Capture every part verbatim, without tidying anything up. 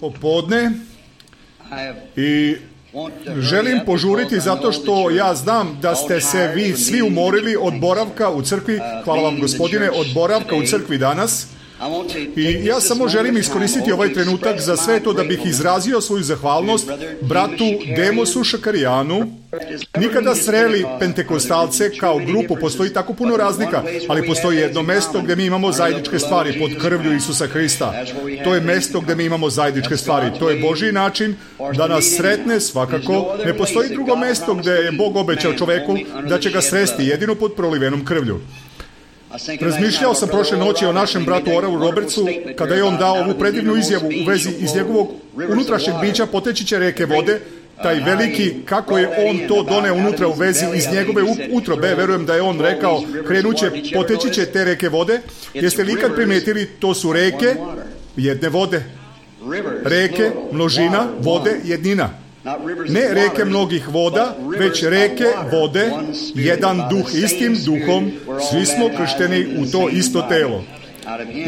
popodne i želim požuriti zato što ja znam da ste se vi svi umorili od boravka u crkvi. Hvala vam, Gospodine, od boravka u crkvi danas. I ja samo želim iskoristiti ovaj trenutak za sve to da bih izrazio svoju zahvalnost bratu Demosu Šakarijanu. Nikada sreli pentekostalce kao grupu, postoji tako puno razlika, ali postoji jedno mesto gdje mi imamo zajedničke stvari pod krvlju Isusa Hrista. To je mesto gdje mi imamo zajedničke stvari. To je Božji način da nas sretne svakako. Ne postoji drugo mesto gdje je Bog obećao čoveku da će ga sresti jedino pod prolivenom krvlju. Razmišljao sam prošle noći o našem bratu Oralu Robertsu kada je on dao ovu predivnu izjavu u vezi iz njegovog unutrašnjeg bića poteći će reke vode, taj veliki, kako je on to doneo unutra u vezi iz njegove utrobe. Verujem da je on rekao, krenuće, poteći će te reke vode. Jeste li ikad primetili, to su reke jedne vode. Reke, množina, vode, jednina. Ne reke mnogih voda, već reke vode, jedan duh, istim duhom, svi smo kršteni u to isto telo.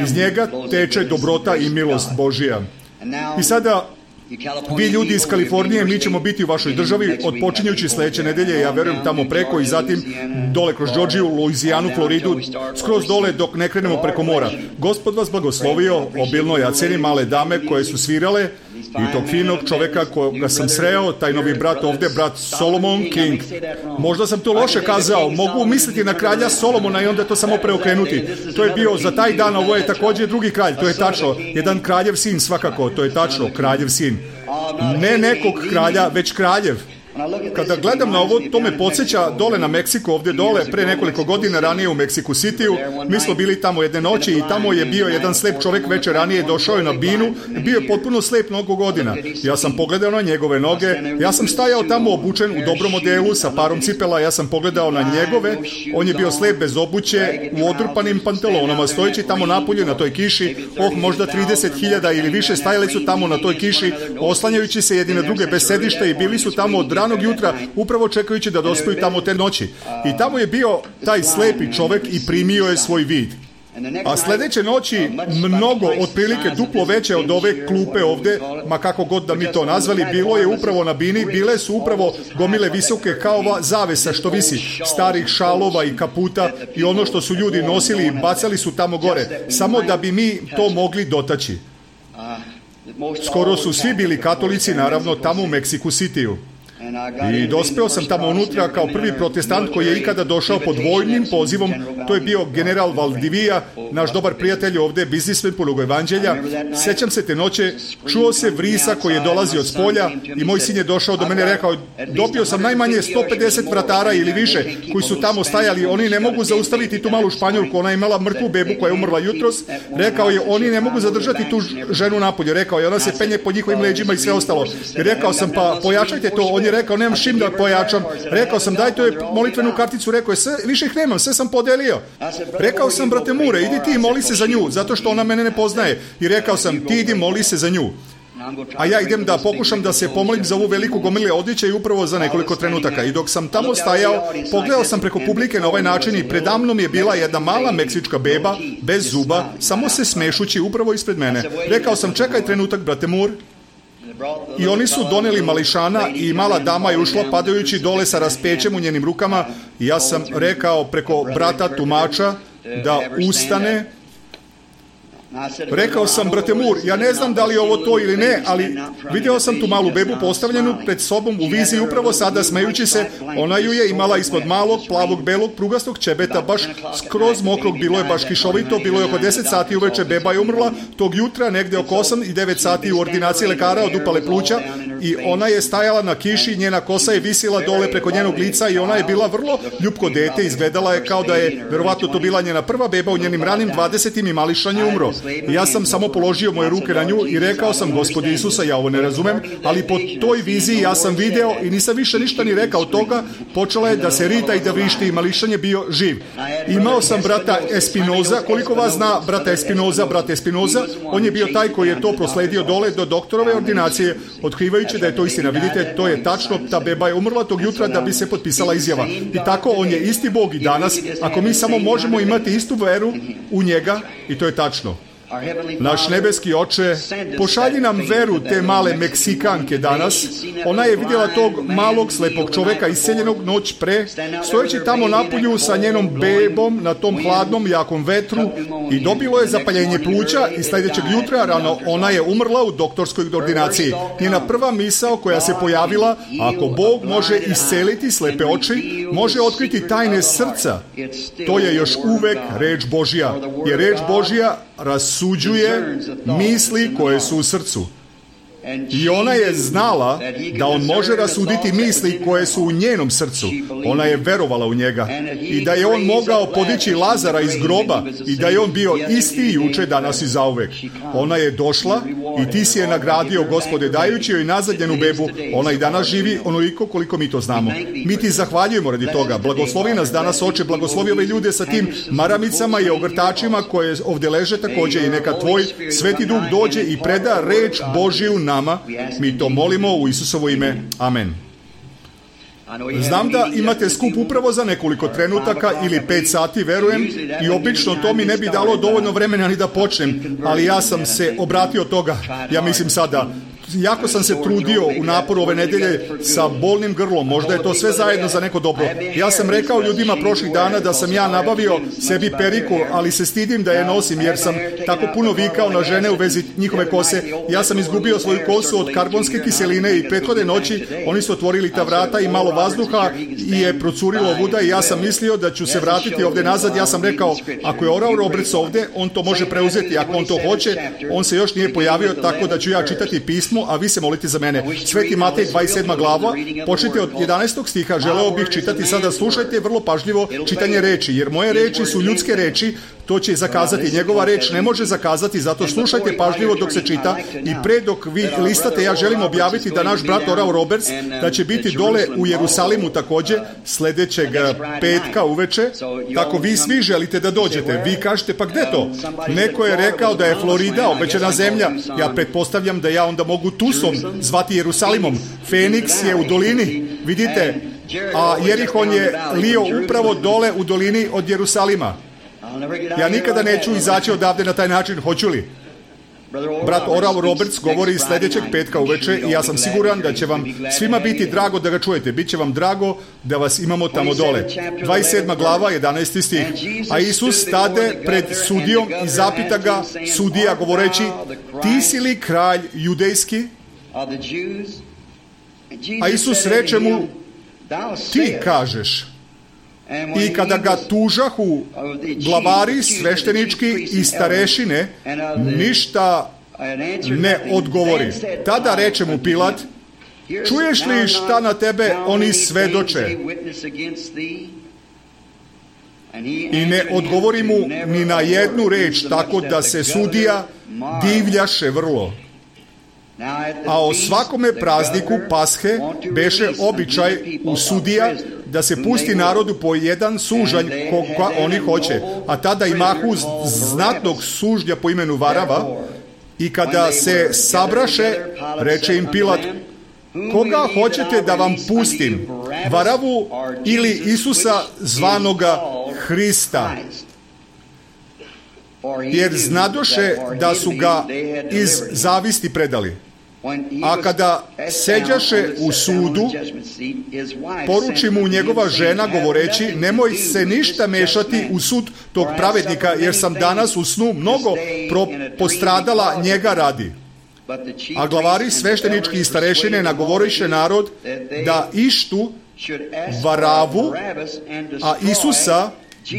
Iz njega teče dobrota i milost Božija. I sada, vi ljudi iz Kalifornije, mi ćemo biti u vašoj državi odpočinjući sljedeće nedelje, ja verujem tamo preko i zatim dole kroz Georgiju, Luizijanu, Floridu, skroz dole dok ne krenemo preko mora. Gospod vas blagoslovio obilno, ja cenim male dame koje su svirale i tog finog čoveka koga sam sreo, taj novi brat ovdje, brat Solomon King. Možda sam to loše kazao, mogu misliti na kralja Solomona i onda to samo preokrenuti. To je bio za taj dan, ovo je također drugi kralj, to je tačno, jedan kraljev sin svakako, to je tačno, kraljev sin. Ne nekog kralja, već kraljev. Kada gledam na ovo, to me podsjeća dole na Meksiku, ovdje dole, pre nekoliko godina ranije u Meksiku Cityu. Mi smo bili tamo jedne noći i tamo je bio jedan slep čovjek večer ranije, došao je na binu, bio je potpuno slep mnogo godina. Ja sam pogledao na njegove noge, ja sam stajao tamo obučen u dobrom modelu sa parom cipela, ja sam pogledao na njegove, on je bio slep bez obuće, u odrpanim pantalonama, stojeći tamo napolje na toj kiši, oh, možda trideset hiljada ili više stajali su tamo na toj kiši, oslanjajući se jedni na druge bez sedišta i bili su tamo od ranog jutra, upravo čekajući da dospiju tamo te noći. I tamo je bio taj slepi čovjek i primio je svoj vid. A sljedeće noći, mnogo, otprilike duplo veće od ove klupe ovdje, ma kako god da mi to nazvali, bilo je upravo na bini, bile su upravo gomile visoke kao ova zavesa što visi, starih šalova i kaputa i ono što su ljudi nosili i bacali su tamo gore, samo da bi mi to mogli dotaći. Skoro su svi bili katolici, naravno, tamo u Meksiku Cityu. I dospeo sam tamo unutra kao prvi protestant koji je ikada došao pod vojnim pozivom. To je bio general Valdivia, naš dobar prijatelj ovdje, biznismen polugo evanđelja. Sjećam se te noće, čuo se vrisa koji je dolazio od spolja i moj sin je došao do mene i rekao, dobio sam najmanje sto pedeset vratara ili više koji su tamo stajali, oni ne mogu zaustaviti tu malu Španjolku, ona je imala mrtvu bebu koja je umrla jutros. Rekao je, oni ne mogu zadržati tu ženu napolje, rekao je, ona se penje po njihovim leđima i sve ostalo. I rekao sam, pa pojačajte to, on je rekao, nemam šim da pojačam. Rekao sam, daj to je molitvenu karticu, rekao je, sve, više ih nemam, sve sam podelio. Rekao sam, brate Mure, idi ti i moli se za nju, zato što ona mene ne poznaje. I rekao sam, ti idi moli se za nju. A ja idem da pokušam da se pomolim za ovu veliku gomile odjeće i upravo za nekoliko trenutaka. I dok sam tamo stajao, pogledao sam preko publike na ovaj način i predamnom je bila jedna mala meksička beba, bez zuba, samo se smešući upravo ispred mene. Rekao sam, čekaj trenutak, brate Mur. I oni su doneli mališana i mala dama je ušla padajući dole sa raspećem u njenim rukama i ja sam rekao preko brata tumača da ustane. Rekao sam, brate Mur, ja ne znam da li je ovo to ili ne, ali vidio sam tu malu bebu postavljenu pred sobom u viziji upravo sada smejući se. Ona ju je imala ispod malog, plavog, belog, prugastog ćebeta, baš skroz mokrog, bilo je baš kišovito, bilo je oko deset sati uveče, beba je umrla tog jutra, negdje oko osam i devet sati u ordinaciji lekara od upale pluća i ona je stajala na kiši, njena kosa je visila dole preko njenog lica i ona je bila vrlo ljupko dete, izgledala je kao da je verovatno to bila njena prva beba u njenim ranim dvadesetim i mališan je umro. I ja sam samo položio moje ruke na nju i rekao sam, Gospodi Isusa, ja ovo ne razumem, ali po toj viziji ja sam video i nisam više ništa ni rekao toga, počela je da se rita i da vrišti i mališan je bio živ. Imao sam brata Espinoza, koliko vas zna brata Espinoza, brata Espinoza, on je bio taj koji je to prosledio dole do doktorove ordinacije, otkrivajući da je to istina. Vidite, to je tačno, ta beba je umrla tog jutra da bi se potpisala izjava. I tako, on je isti Bog i danas, ako mi samo možemo imati istu veru u njega, i to je tačno. Naš nebeski Oče, pošalji nam veru te male Meksikanke danas. Ona je vidjela tog malog slepog čoveka iseljenog noć pre, stojeći tamo napolju sa njenom bebom na tom hladnom jakom vetru i dobilo je zapaljenje pluća i sljedećeg jutra rano ona je umrla u doktorskoj ordinaciji. Njena prva misao koja se pojavila, ako Bog može isceliti slepe oči, može otkriti tajne srca, to je još uvek reč Božja. Jer reč Božja rasuđuje misli koje su u srcu. I ona je znala da on može rasuditi misli koje su u njenom srcu. Ona je verovala u njega. I da je on mogao podići Lazara iz groba i da je on bio isti juče, danas i zauvek. Ona je došla i ti si je nagradio, Gospode, dajući joj nazad njenu bebu. Ona i danas živi onoliko koliko mi to znamo. Mi ti zahvaljujemo radi toga. Blagoslovi nas danas, Oče, blagoslovi ove ljude sa tim maramicama i ogrtačima koje ovdje leže također i neka tvoj Sveti Duh dođe i preda reč Božiju nama. Mi to molimo u Isusovo ime. Amen. Znam da imate skup upravo za nekoliko trenutaka ili pet sati, verujem, i obično to mi ne bi dalo dovoljno vremena ni da počnem, ali ja sam se obratio toga. Ja mislim sada, jako sam se trudio u naporu ove nedelje sa bolnim grlom, možda je to sve zajedno za neko dobro. Ja sam rekao ljudima prošlih dana da sam ja nabavio sebi periku, ali se stidim da je nosim jer sam tako puno vikao na žene u vezi njihove kose. Ja sam izgubio svoju kosu od karbonske kiseline i prethodne noći oni su otvorili ta vrata i malo vazduha i je procurilo vuda i ja sam mislio da ću se vratiti ovdje nazad. Ja sam rekao, ako je Oral Roberts ovdje, on to može preuzeti, ako on to hoće. On se još nije pojavio, tako da ću ja čitati pismo, a vi se molite za mene. Sveti Matej, dvadeset sedma glava, počnite od jedanaestog stiha. Želeo bih čitati sada, slušajte vrlo pažljivo čitanje reči, jer moje reči su ljudske reči, to će zakazati. Njegova reč ne može zakazati, zato slušajte pažljivo dok se čita. I pre dok vi listate, ja želim objaviti da naš brat Oral Roberts, da će biti dole u Jerusalimu također sljedećeg petka uveče. Tako vi svi želite da dođete. Vi kažete, pa gde to? Neko je rekao da je Florida obećana zemlja. Ja pretpostavljam da ja onda mogu Tusom zvati Jerusalimom. Feniks je u dolini, vidite, a Jerihon je lio upravo dole u dolini od Jerusalima. Ja nikada neću izaći odavde na taj način, hoću li? Brat Oral Roberts govori sljedećeg petka uveče i ja sam siguran da će vam svima biti drago da ga čujete. Biće vam drago da vas imamo tamo dole. dvadeset sedma glava, jedanaesti stih. A Isus stade pred sudijom i zapita ga sudija govoreći, ti si li kralj judejski? A Isus reče mu, ti kažeš. I kada ga tužahu glavari, sveštenički i starešine, ništa ne odgovori. Tada reče mu Pilat, čuješ li šta na tebe oni svedoče? I ne odgovori mu ni na jednu reč, tako da se sudija divljaše vrlo. A o svakome prazniku Pashe beše običaj u sudija da se pusti narodu po jedan sužanj koga oni hoće. A tada imahu znatnog sužnja po imenu Varava i kada se sabraše, reče im Pilat, koga hoćete da vam pustim? Varavu ili Isusa zvanoga Hrista? Jer znadoše da su ga iz zavisti predali. A kada seđaše u sudu, poruči mu njegova žena govoreći, nemoj se ništa mešati u sud tog pravednika, jer sam danas u snu mnogo pro- postradala njega radi. A glavari sveštenički i starešine nagovoriše narod da ištu Varavu, a Isusa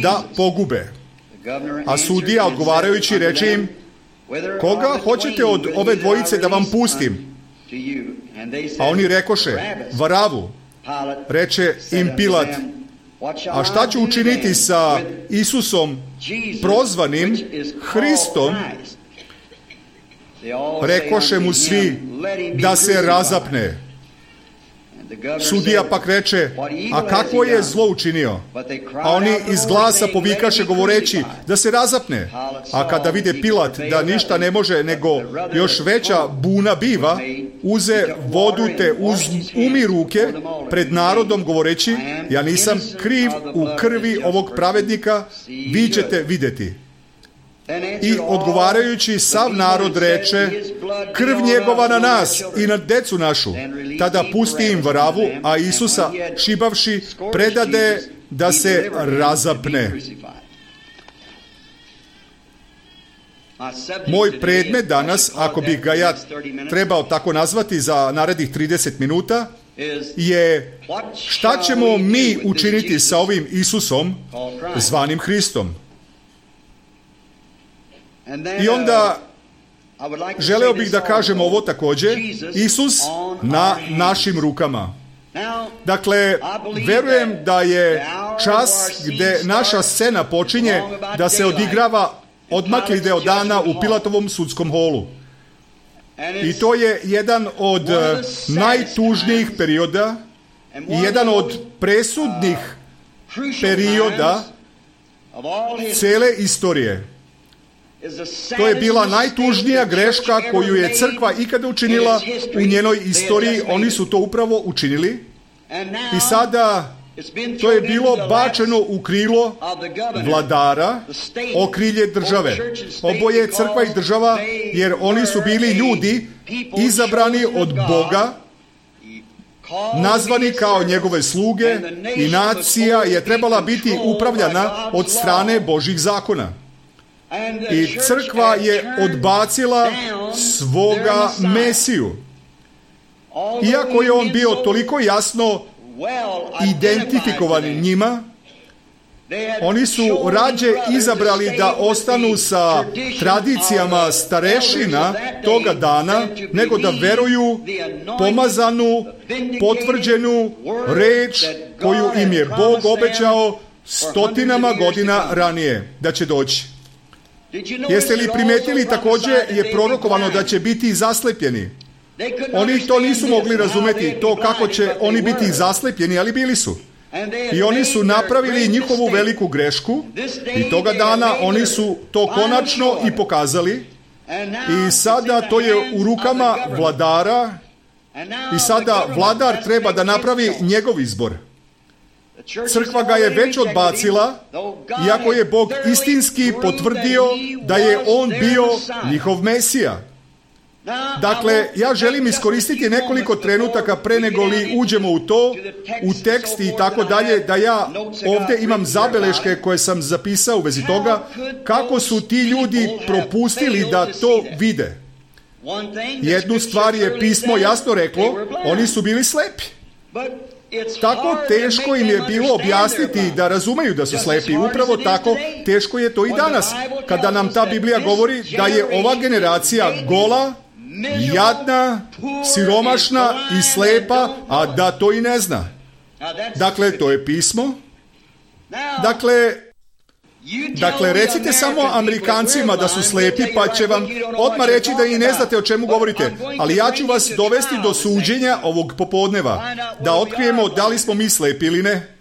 da pogube. A sudija odgovarajući reče im, koga hoćete od ove dvojice da vam pustim? A oni rekoše, Varavu. Reče im Pilat, a šta ću učiniti sa Isusom prozvanim Hristom? Rekoše mu svi da se razapne. Sudija pak reče, a kakvo je zlo učinio? A oni iz glasa povikaše govoreći da se razapne. A kada vide Pilat da ništa ne može nego još veća buna biva, uze vodu te uz umi ruke pred narodom govoreći, ja nisam kriv u krvi ovog pravednika, vi ćete vidjeti. I odgovarajući sav narod reče, krv njegova na nas i na decu našu. Tada pusti im vravu, a Isusa šibavši predade da se razapne. Moj predmet danas, ako bih ga ja trebao tako nazvati za narednih trideset minuta, je šta ćemo mi učiniti sa ovim Isusom zvanim Hristom. I onda želeo bih da kažem ovo također, Isus na našim rukama. Dakle, verujem da je čas gdje naša scena počinje da se odigrava odmakli deo dana u Pilatovom sudskom holu. I to je jedan od najtužnijih perioda i jedan od presudnih perioda cele istorije. To je bila najtužnija greška koju je crkva ikada učinila u njenoj istoriji. Oni su to upravo učinili. I sada to je bilo bačeno u krilo vladara, okrilje države. Oboje crkva i država, jer oni su bili ljudi izabrani od Boga, nazvani kao njegove sluge, i nacija je trebala biti upravljana od strane Božjih zakona. I crkva je odbacila svoga Mesiju. Iako je on bio toliko jasno identifikovan njima, oni su rađe izabrali da ostanu sa tradicijama starešina toga dana, nego da veruju pomazanu, potvrđenu reč koju im je Bog obećao stotinama godina ranije da će doći. Jeste li primetili, također je prorokovano da će biti zaslepljeni. Oni to nisu mogli razumjeti, to kako će oni biti zaslepljeni, ali bili su. I oni su napravili njihovu veliku grešku i toga dana oni su to konačno i pokazali. I sada to je u rukama vladara i sada vladar treba da napravi njegov izbor. Crkva ga je već odbacila, iako je Bog istinski potvrdio da je on bio njihov Mesija. Dakle, ja želim iskoristiti nekoliko trenutaka pre nego li uđemo u to, u tekst i tako dalje, da ja ovdje imam zabeleške koje sam zapisao u vezi toga, kako su ti ljudi propustili da to vide. Jednu stvar je pismo jasno reklo, oni su bili slepi. Tako teško im je bilo objasniti da razumeju da su slepi. Upravo tako teško je to i danas, kada nam ta Biblija govori da je ova generacija gola, jadna, siromašna i slepa, a da to i ne zna. Dakle, to je pismo. Dakle, dakle, recite samo Amerikancima da su slepi, pa će vam odmah reći da i ne znate o čemu govorite. Ali ja ću vas dovesti do suđenja ovog popodneva, da otkrijemo da li smo mi slepi ili ne.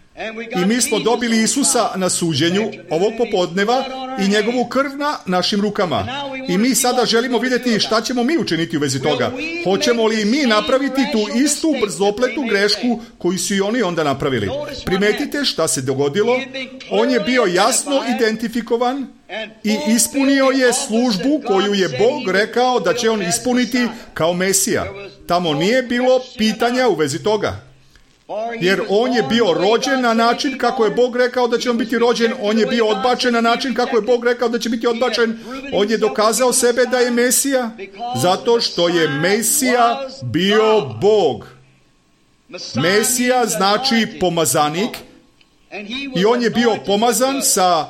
I mi smo dobili Isusa na suđenju ovog popodneva i njegovu krv na našim rukama. I mi sada želimo vidjeti šta ćemo mi učiniti u vezi toga. Hoćemo li mi napraviti tu istu brzopletu grešku koju su i oni onda napravili? Primetite šta se dogodilo. On je bio jasno identifikovan i ispunio je službu koju je Bog rekao da će on ispuniti kao Mesija. Tamo nije bilo pitanja u vezi toga. Jer on je bio rođen na način kako je Bog rekao da će on biti rođen, on je bio odbačen na način kako je Bog rekao da će biti odbačen, on je dokazao sebe da je Mesija, zato što je Mesija bio Bog. Mesija znači pomazanik i on je bio pomazan sa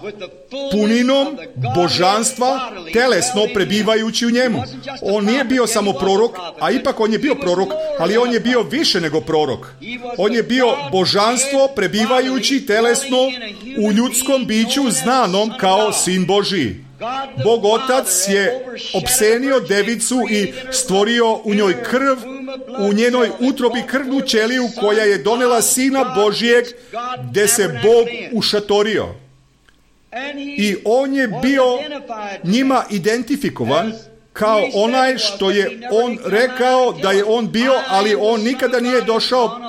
puninom božanstva, telesno prebivajući u njemu. On nije bio samo prorok, a ipak on je bio prorok, ali on je bio više nego prorok. On je bio božanstvo prebivajući telesno u ljudskom biću znanom kao Sin Božiji. Bog Otac je opsenio devicu i stvorio u njoj krv, u njenoj utrobi krvnu ćeliju koja je donela Sina Božijeg, gdje se Bog ušatorio. I on je bio njima identifikovan kao onaj što je on rekao da je on bio, ali on nikada nije došao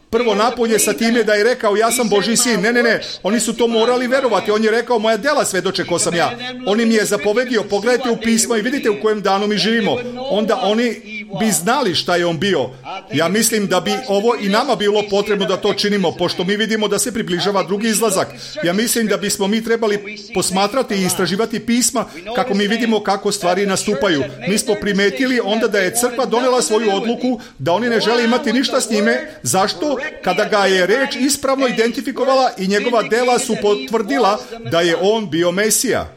prvo napolje sa time da je rekao ja sam Božji sin. Ne, ne, ne, oni su to morali verovati. On je rekao moja dela svedoče ko sam ja. On im je zapovedio, pogledajte u pismo i vidite u kojem danu mi živimo. Onda oni bi znali šta je on bio. Ja mislim da bi ovo i nama bilo potrebno da to činimo, pošto mi vidimo da se približava drugi izlazak. Ja mislim da bismo mi trebali posmatrati i istraživati pisma kako mi vidimo kako stvari nastupaju. Mi smo primetili onda da je crkva donela svoju odluku da oni ne žele imati ništa s njime. Zašto? Kada ga je reč ispravno identifikovala i njegova dela su potvrdila da je on bio Mesija.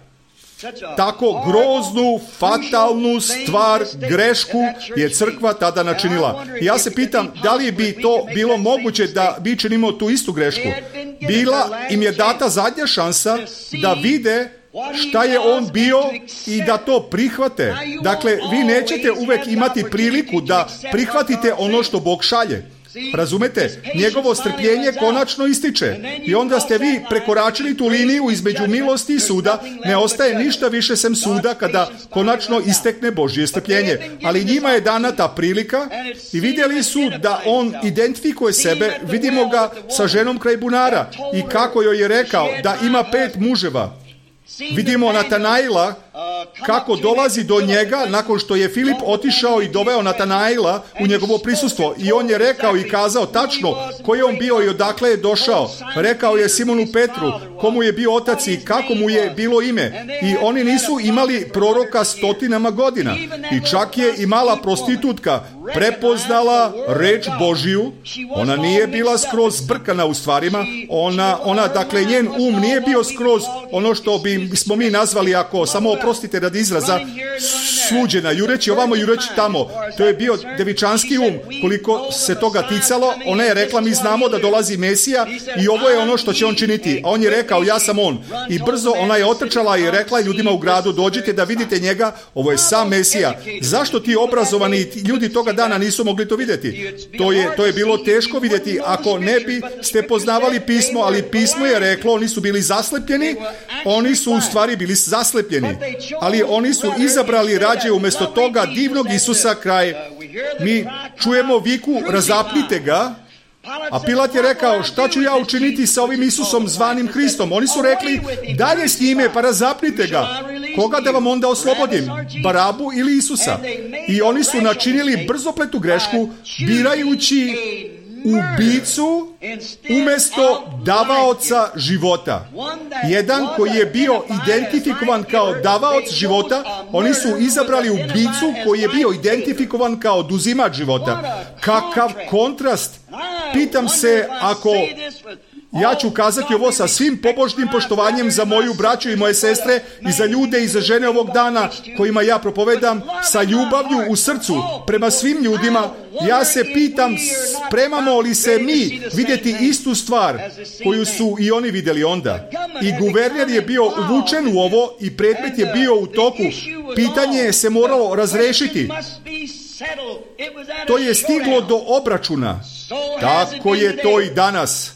Tako groznu, fatalnu stvar, grešku je crkva tada načinila. Ja se pitam da li bi to bilo moguće da mi činimo tu istu grešku. Bila im je data zadnja šansa da vide šta je on bio i da to prihvate. Dakle, vi nećete uvek imati priliku da prihvatite ono što Bog šalje. Razumete? Njegovo strpljenje konačno ističe. I onda ste vi prekoračili tu liniju između milosti i suda. Ne ostaje ništa više sem suda kada konačno istekne Božje strpljenje. Ali njima je dana ta prilika i vidjeli su da on identifikuje sebe. Vidimo ga sa ženom kraj bunara i kako joj je rekao da ima pet muževa. Vidimo Natanaila kako dolazi do njega nakon što je Filip otišao i doveo Natanaila u njegovo prisustvo. I on je rekao i kazao tačno ko je on bio i odakle je došao. Rekao je Simonu Petru komu je bio otac i kako mu je bilo ime. I oni nisu imali proroka stotinama godina. I čak je i mala prostitutka prepoznala reč Božiju. Ona nije bila skroz zbrkana u stvarima. Ona, ona, dakle, njen um nije bio skroz ono što bi smo mi nazvali, ako samo oprostite radi izraza, sluđena, jureći ovamo, jureći tamo. To je bio devičanski um. Koliko se toga ticalo, ona je rekla, mi znamo da dolazi Mesija i ovo je ono što će on činiti. A on je rekao, ja sam on. I brzo ona je otrčala i rekla ljudima u gradu, dođite da vidite njega, ovo je sam Mesija. Zašto ti obrazovani ljudi toga dana nisu mogli to vidjeti? To je, to je bilo teško vidjeti ako ne bi ste poznavali pismo, ali pismo je reklo, oni su bili zaslepljeni, oni su u stvari bili zaslepljeni, ali oni su izabrali rađe umjesto toga divnog Isusa kraj. Mi čujemo viku, razapnite ga, a Pilat je rekao, šta ću ja učiniti sa ovim Isusom zvanim Hristom? Oni su rekli, dalje s njime, pa razapnite ga. Koga da vam onda oslobodim? Barabu ili Isusa? I oni su načinili brzopletu grešku, birajući ubicu umjesto davaoca života. Jedan koji je bio identifikovan kao davaoc života, oni su izabrali ubicu koji je bio identifikovan kao oduzimač života. Kakav kontrast! Pitam se, ako ja ću kazati ovo sa svim pobožnim poštovanjem za moju braću i moje sestre i za ljude i za žene ovog dana kojima ja propovedam, sa ljubavlju u srcu prema svim ljudima, ja se pitam, spremamo li se mi vidjeti istu stvar koju su i oni vidjeli onda. I guverner je bio uvučen u ovo i predmet je bio u toku. Pitanje je se moralo razrešiti. To je stiglo do obračuna. Tako je to i danas.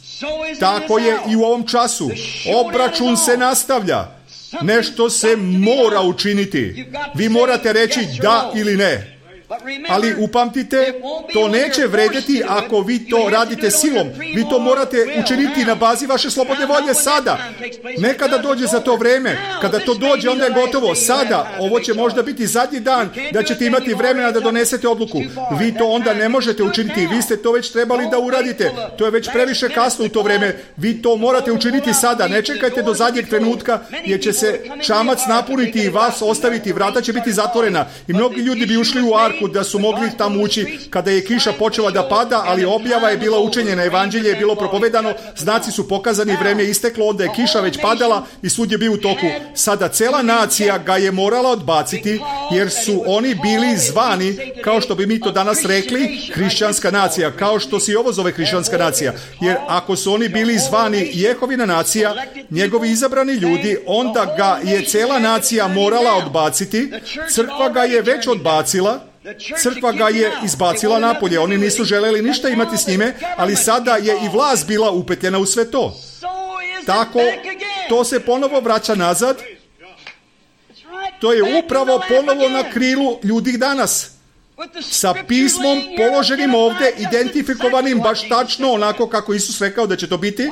Tako je i u ovom času. Obračun se nastavlja. Nešto se mora učiniti. Vi morate reći da ili ne. Ali upamtite, to neće vredjeti ako vi to radite silom. Vi to morate učiniti na bazi vaše slobodne volje sada. Nekada dođe za to vreme. Kada to dođe, onda je gotovo. Sada, ovo će možda biti zadnji dan da ćete imati vremena da donesete odluku. Vi to onda ne možete učiniti. Vi ste to već trebali da uradite. To je već previše kasno u to vreme. Vi to morate učiniti sada. Ne čekajte do zadnjeg trenutka, jer će se čamac napuniti i vas ostaviti. Vrata će biti zatvorena. I mnogi ljudi bi ušli u arku da su mogli tamo ući kada je kiša počela da pada, ali objava je bila učenjena, evanđelje je bilo propovedano, znaci su pokazani, vreme je isteklo, onda je kiša već padala i sud je bio u toku. Sada cela nacija ga je morala odbaciti, jer su oni bili zvani, kao što bi mi to danas rekli, hrišćanska nacija, kao što se i ovo zove hrišćanska nacija. Jer ako su oni bili zvani Jehovina nacija, njegovi izabrani ljudi, onda ga je cela nacija morala odbaciti. Crkva ga je već odbacila. Crkva ga je izbacila napolje. Oni nisu želeli ništa imati s njime, ali sada je i vlast bila upetljena u sve to. Tako, to se ponovo vraća nazad. To je upravo ponovo na krilu ljudi danas. sa pismom položenim ovdje, identifikovanim baš tačno onako kako Isus rekao da će to biti.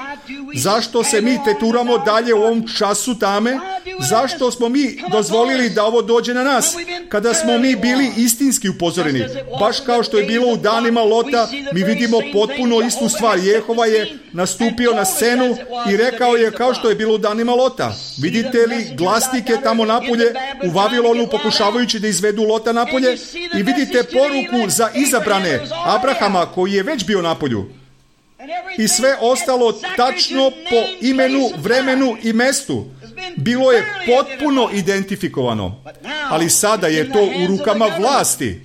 Zašto se mi teturamo dalje u ovom času tame? Zašto smo mi dozvolili da ovo dođe na nas? Kada smo mi bili istinski upozoreni, baš kao što je bilo u danima Lota, mi vidimo potpuno istu stvar. Jehova je nastupio na scenu i rekao je kao što je bilo u danima Lota. Vidite li glasnike tamo napolje u Vavilonu pokušavajući da izvedu Lota napolje i vidite poruku za izabrane Abrahama koji je već bio napolju. I sve ostalo tačno po imenu, vremenu i mestu. Bilo je potpuno identifikovano. Ali sada je to u rukama vlasti.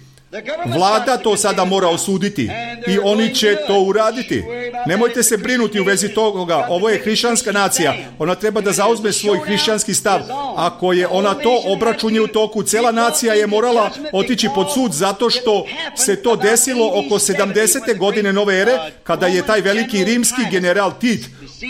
Vlada to sada mora osuditi i oni će to uraditi. Nemojte se brinuti u vezi toga. Ovo je hrišćanska nacija. Ona treba da zauzme svoj hrišćanski stav. Ako je ona to, obračun je u toku. Cela nacija je morala otići pod sud zato što se to desilo oko sedamdesete godine nove ere, kada je taj veliki rimski general Tit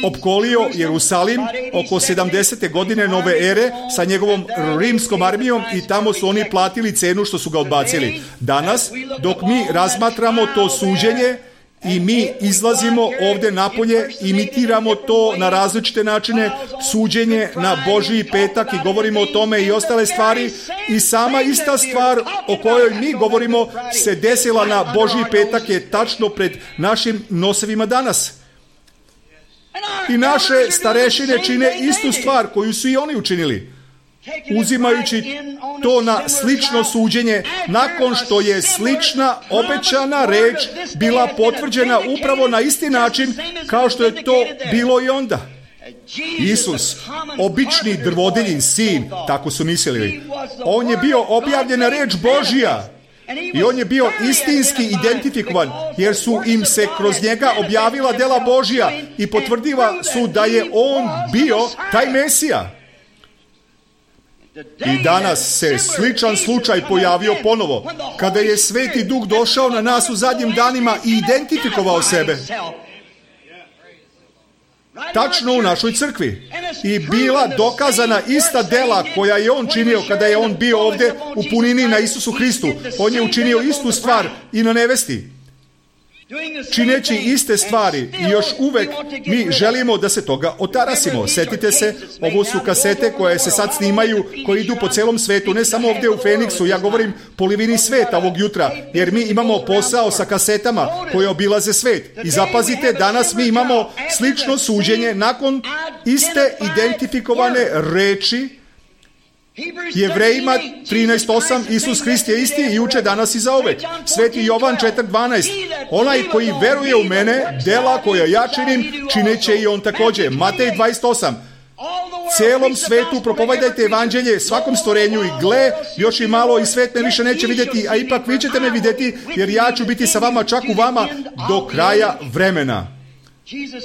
opkolio Jerusalim oko sedamdesete godine nove ere sa njegovom rimskom armijom i tamo su oni platili cenu što su ga odbacili. Danas, dok mi razmatramo to suđenje i mi izlazimo ovdje napolje, imitiramo to na različite načine, suđenje na Božji petak i govorimo o tome i ostale stvari, i sama ista stvar o kojoj mi govorimo se desila na Božji petak je tačno pred našim nosevima danas. I naše starešine čine istu stvar koju su i oni učinili, uzimajući to na slično suđenje nakon što je slična obećana reč bila potvrđena upravo na isti način kao što je to bilo i onda. Isus, obični drvodeljin sin, tako su mislili, on je bio objavljena reč Božja. I on je bio istinski identifikovan, jer su im se kroz njega objavila dela Božja i potvrdiva su da je on bio taj Mesija. I danas se sličan slučaj pojavio ponovo, kada je Sveti Duh došao na nas u zadnjim danima i identifikovao sebe. Tačno u našoj crkvi. I bila dokazana ista dela koja je on činio kada je on bio ovdje u punini na Isusu Hristu. On je učinio istu stvar i na nevesti. Čineći iste stvari i još uvek mi želimo da se toga otarasimo. Setite se, ovo su kasete koje se sad snimaju, koje idu po celom svetu, ne samo ovdje u Feniksu, ja govorim polovini sveta ovog jutra, jer mi imamo posao sa kasetama koje obilaze svet. I zapazite, danas mi imamo slično suđenje nakon iste identifikovane reči. Jevrejima trinaest osam, Isus Hrist je isti i juče, danas i zauvek. Sveti Jovan četiri dvanaest, onaj koji veruje u mene, dela koja ja činim, čineće i on također. Matej dvadeset osam, celom svetu propovedajte evanđelje svakom stvorenju i gle, još i malo i svet me više neće vidjeti, a ipak vi ćete me vidjeti, jer ja ću biti sa vama, čak u vama, do kraja vremena.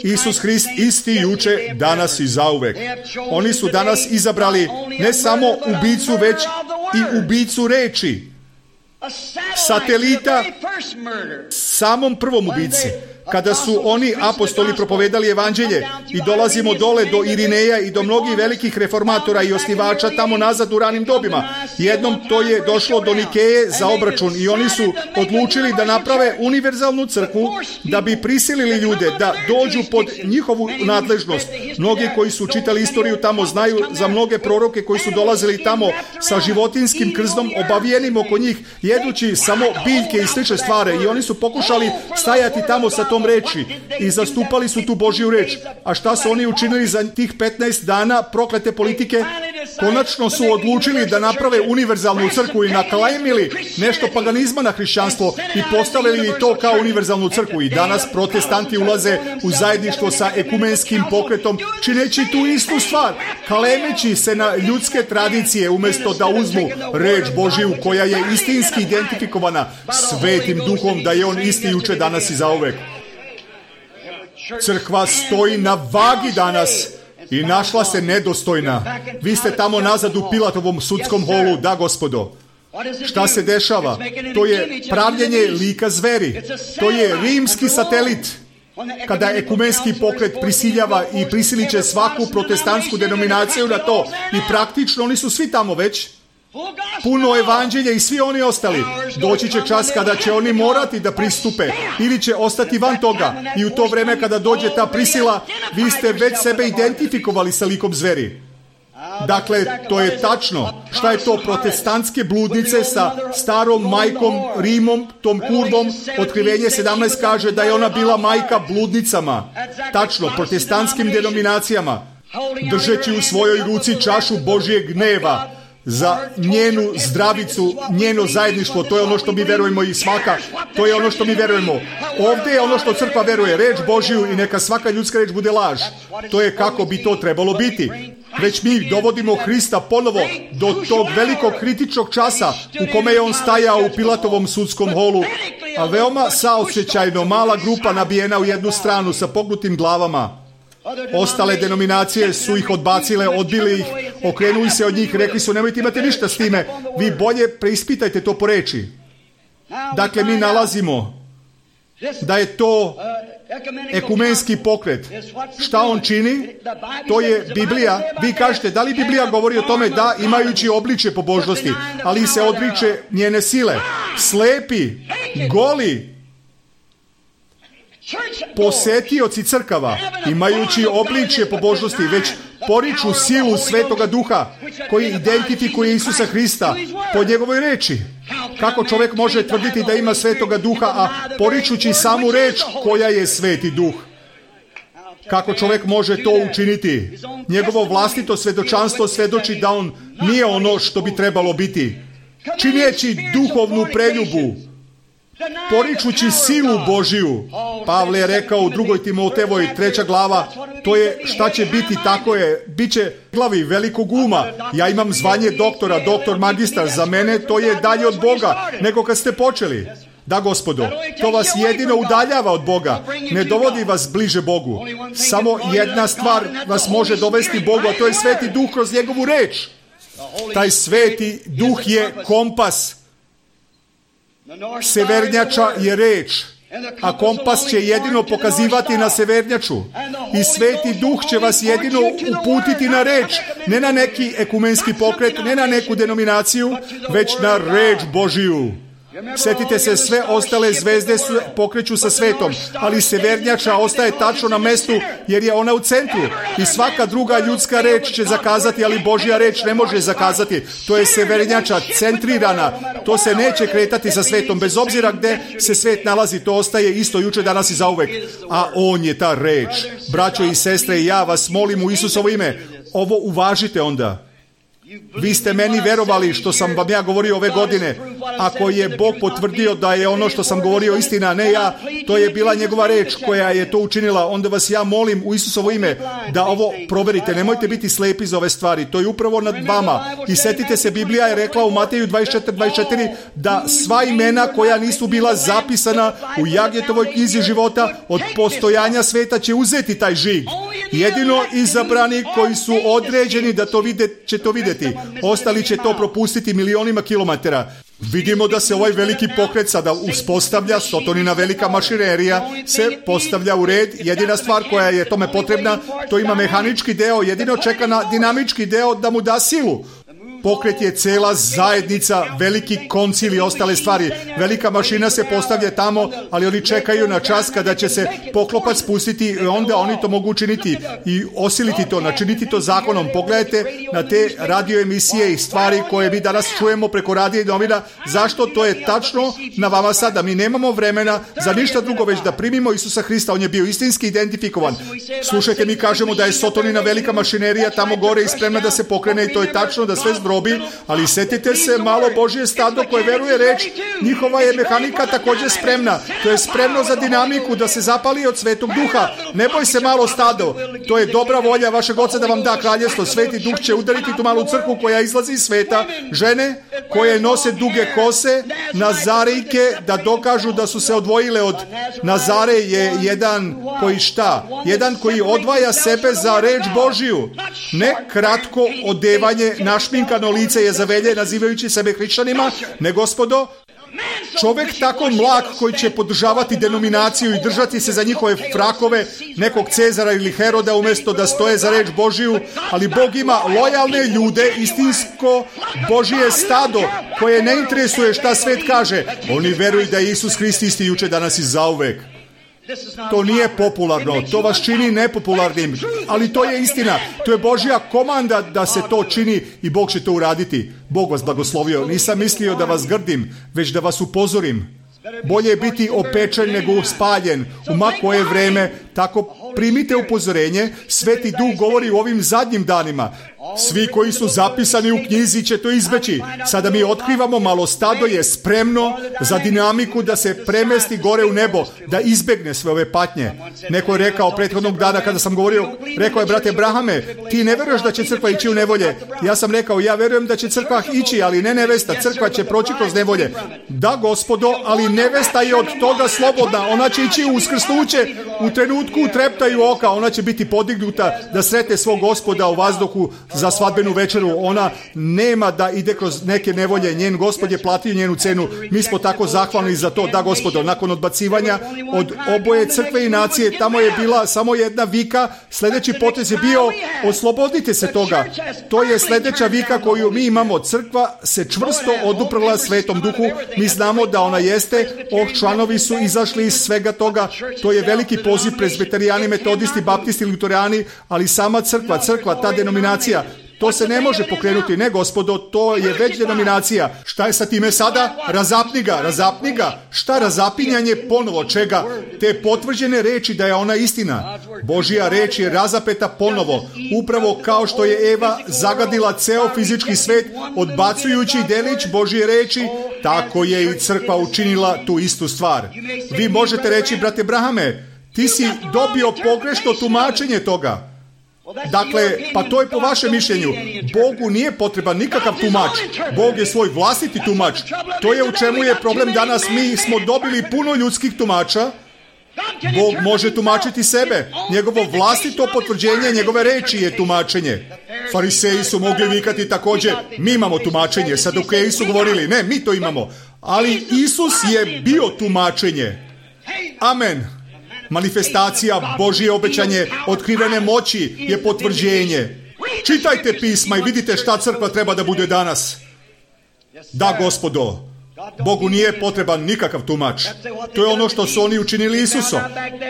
Isus Hrist isti juče, danas i zauvek. Oni su danas izabrali ne samo ubicu, već i ubicu reči. Satelita samom prvom ubici. Kada su oni apostoli propovedali evanđelje i dolazimo dole do Irineja i do mnogih velikih reformatora i osnivača tamo nazad u ranim dobima. Jednom to je došlo do Nikeje za obračun i oni su odlučili da naprave univerzalnu crkvu da bi prisilili ljude da dođu pod njihovu nadležnost. Mnogi koji su čitali istoriju tamo znaju za mnoge proroke koji su dolazili tamo sa životinskim krznom obavijenim oko njih, jedući samo biljke i slične stvari, i oni su pokušali stajati tamo sa tom reči i zastupali su tu Božju reč. A šta su oni učinili za tih petnaest dana proklete politike? Konačno su odlučili da naprave univerzalnu crkvu i naklajmili nešto paganizma na hrišćanstvo i postavili to kao univerzalnu crkvu. I danas protestanti ulaze u zajedništvo sa ekumenskim pokretom, čineći tu istu stvar, kalemeći se na ljudske tradicije umjesto da uzmu reč Božju koja je istinski identifikovana Svetim Duhom, da je on isti juče, danas i zauvek. Crkva stoji na vagi danas i našla se nedostojna. Vi ste tamo nazad u Pilatovom sudskom holu, da gospodo. Šta se dešava? To je pravljenje lika zveri. To je rimski satelit. Kada ekumenski pokret prisiljava i prisilit će svaku protestantsku denominaciju na to, i praktično oni su svi tamo već. puno evanđelje i svi oni ostali. Doći će čas kada će oni morati da pristupe ili će ostati van toga. I u to vreme kada dođe ta prisila, vi ste već sebe identifikovali sa likom zveri. Dakle, to je tačno. Šta je to? Protestantske bludnice sa starom majkom Rimom, tom kurvom. Otkrivenje sedamnaest kaže da je ona bila majka bludnicama. Tačno, protestantskim denominacijama. Držeći u svojoj ruci čašu Božjeg gneva za njenu zdravicu, njeno zajedništvo. To je ono što mi verujemo i svaka. To je ono što mi verujemo. Ovdje je ono što crkva veruje. Reč Božju i neka svaka ljudska reč bude laž. To je kako bi to trebalo biti. Već mi dovodimo Hrista ponovo do tog velikog kritičnog časa u kome je on stajao u Pilatovom sudskom holu, a veoma saosjećajno mala grupa nabijena u jednu stranu sa pognutim glavama. Ostale denominacije su ih odbacile, odbili ih, okrenuli se od njih, rekli su nemojte imati ništa s time, vi bolje preispitajte to po reči. Dakle, mi nalazimo da je to ekumenski pokret. Šta on čini? To je Biblija. Vi kažete, da li Biblija govori o tome? Da, imajući obličje pobožnosti, ali se odriče njene sile. Slepi, goli, posetioci crkava, imajući obličje pobožnosti, već poriču silu Svetoga Duha koji identifikuje Isusa Hrista po njegovoj reči. Kako čovjek može tvrditi da ima Svetoga Duha, a poričući samu reč koja je Sveti Duh? Kako čovjek može to učiniti? Njegovo vlastito svjedočanstvo svjedoči da on nije ono što bi trebalo biti. Čineći duhovnu preljubu, poričući silu Božiju. Pavle je rekao u drugoj Timotevoj treća glava, to je šta će biti, tako je, bit će glavi velikog uma. Ja imam zvanje doktora, doktor magistar, za mene to je dalje od Boga nego kad ste počeli. Da, Gospodo, to vas jedino udaljava od Boga, ne dovodi vas bliže Bogu. Samo jedna stvar vas može dovesti Bogu, a to je Sveti Duh kroz njegovu reč. Taj Sveti Duh je kompas. Severnjača je reč, a kompas će jedino pokazivati na severnjaču. I Sveti Duh će vas jedino uputiti na reč, ne na neki ekumenski pokret, ne na neku denominaciju, već na reč Božiju. Sjetite se, sve ostale zvezde su, pokreću sa svetom, ali severnjača ostaje tačno na mestu jer je ona u centru. I svaka druga ljudska reč će zakazati, ali Božja reč ne može zakazati. To je severnjača centrirana. To se neće kretati sa svetom. Bez obzira gdje se svet nalazi, to ostaje isto juče, danas i zauvek. A on je ta reč. Braćo i sestre, ja vas molim u Isusovo ime, ovo uvažite onda. Vi ste meni verovali što sam vam ja govorio ove godine. Ako je Bog potvrdio da je ono što sam govorio istina, ne ja, to je bila njegova reč koja je to učinila, onda vas ja molim u Isusovo ime da ovo proverite. Nemojte biti slepi za ove stvari. To je upravo nad vama. I setite se, Biblija je rekla u Mateju dvadeset četiri dvadeset četiri da sva imena koja nisu bila zapisana u Jagetovoj knjizi života od postojanja sveta će uzeti taj žig. Jedino izabrani koji su određeni da to vide, će to vidjeti. Ostali će to propustiti milionima kilometara. Vidimo da se ovaj veliki pokret sada uspostavlja, sotonina velika mašinerija se postavlja u red. Jedina stvar koja je tome potrebna, to ima mehanički deo, jedino čeka na dinamički deo da mu da silu. Pokret je cela zajednica, veliki koncil i ostale stvari. Velika mašina se postavlja tamo, ali oni čekaju na čas kada će se poklopac spustiti i onda oni to mogu učiniti i osiliti to, načiniti to zakonom. Pogledajte na te radio emisije i stvari koje mi danas čujemo preko radija i novina. Zašto? To je tačno na vama sada. Mi nemamo vremena za ništa drugo, već da primimo Isusa Hrista. On je bio istinski identifikovan. Slušajte, mi kažemo da je sotonina velika mašinerija tamo gore i spremna da se pokrene i to je tačno da sve zbrobi, ali setite se, malo Božje stado koje veruje reč, njihova je mehanika također spremna. To je spremno za dinamiku da se zapali od Svetog Duha. Ne boj se, malo stado. To je dobra volja vašeg Oca da vam da kraljevstvo. Sveti Duh će udariti tu malu crkvu koja izlazi iz sveta. Žene koje nose duge kose, Nazarejke, da dokažu da su se odvojile od Nazare je jedan koji šta? Jedan koji odvaja sebe za reč Božiju. Ne kratko odevanje, našminkano lice je zavelje nazivajući sebe hrišćanima, ne, gospodo, Čovjek tako mlak koji će podržavati denominaciju i držati se za njihove frakove nekog Cezara ili Heroda umjesto da stoje za reč Božiju, ali Bog ima lojalne ljude, istinsko Božije stado koje ne interesuje šta svet kaže. Oni veruju da je Isus Hrist isti juče, danas i zauvek. To nije popularno, to vas čini nepopularnim, ali to je istina. To je Božja komanda da se to čini i Bog će to uraditi. Bog vas blagoslovio. Nisam mislio da vas grdim, već da vas upozorim. Bolje je biti opečen nego spaljen. U ma koje vreme, tako primite upozorenje. Sveti Duh govori u ovim zadnjim danima. Svi koji su zapisani u knjizi će to izbeći. Sada mi otkrivamo, malo stado je spremno za dinamiku da se premesti gore u nebo, da izbegne sve ove patnje. Neko je rekao prethodnog dana kada sam govorio, rekao je, brate Brahame, ti ne veruješ da će crkva ići u nevolje. Ja sam rekao, ja verujem da će crkva ići, ali ne nevesta. Crkva će proći kroz nevolje. Da, Gospodo, ali nevesta je od toga slobodna. Ona će ići u uskrsnuće u trenutku treptaju oka. Ona će biti podignuta da sretne svog Gospoda u vazduhu za svadbenu večeru. Ona nema da ide kroz neke nevolje. Njen Gospod je platio njenu cenu. Mi smo tako zahvalni za to. Da, Gospodo, nakon odbacivanja od oboje crkve i nacije, tamo je bila samo jedna vika. Sljedeći potez je bio, oslobodite se toga. To je sljedeća vika koju mi imamo. Crkva se čvrsto oduprla Svetom Duhu. Mi znamo da ona jeste. Oh, članovi su izašli iz svega toga. To je veliki poziv prezbiterijani, metodisti, baptisti, luterani, ali sama crkva, crkva, ta denominacija, to se ne može pokrenuti. Ne, Gospodo, to je već denominacija. Šta je sa time sada? Razapni ga, razapni ga. Šta razapinjanje ponovo? Čega? Te potvrđene reči da je ona istina. Božja reč je razapeta ponovo. Upravo kao što je Eva zagadila ceo fizički svet, odbacujući delić Božje reči, tako je i crkva učinila tu istu stvar. Vi možete reći, brate Brahame, ti si dobio pogrešno tumačenje toga. Dakle, pa to je po vašem mišljenju. Bogu nije potreban nikakav tumač. Bog je svoj vlastiti tumač. To je u čemu je problem danas. Mi smo dobili puno ljudskih tumača. Bog može tumačiti sebe. Njegovo vlastito potvrđenje njegove reči je tumačenje. Fariseji su mogli vikati također, mi imamo tumačenje. Sadukeji su govorili, ne, mi to imamo. Ali Isus je bio tumačenje. Amen. Manifestacija, Božje obećanje, otkrivene moći je potvrđenje. Čitajte pisma i vidite šta crkva treba da bude danas. Da, Gospodo, Bogu nije potreban nikakav tumač. To je ono što su oni učinili Isusom.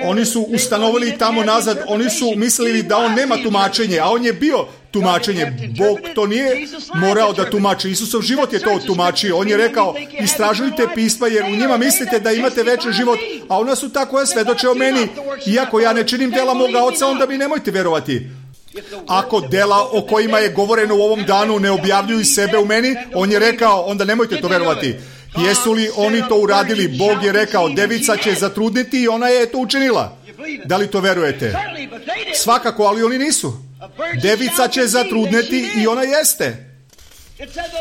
Oni su ustanovili tamo nazad, oni su mislili da on nema tumačenje, a on je bio tumačenje. Bog to nije morao da tumači. Isusov život je to tumačio. On je rekao, istražujte pisma jer u njima mislite da imate večni život, a ona su ta koja svedoče o meni. Iako ja ne činim dela moga Oca, onda mi nemojte verovati. Ako dela o kojima je govoreno u ovom danu ne objavljuju sebe u meni, on je rekao, onda nemojte to verovati. Jesu li oni to uradili? Bog je rekao, devica će zatrudniti i ona je to učinila. Da li to verujete? Svakako, ali oni nisu. Devica će zatrudneti i ona jeste.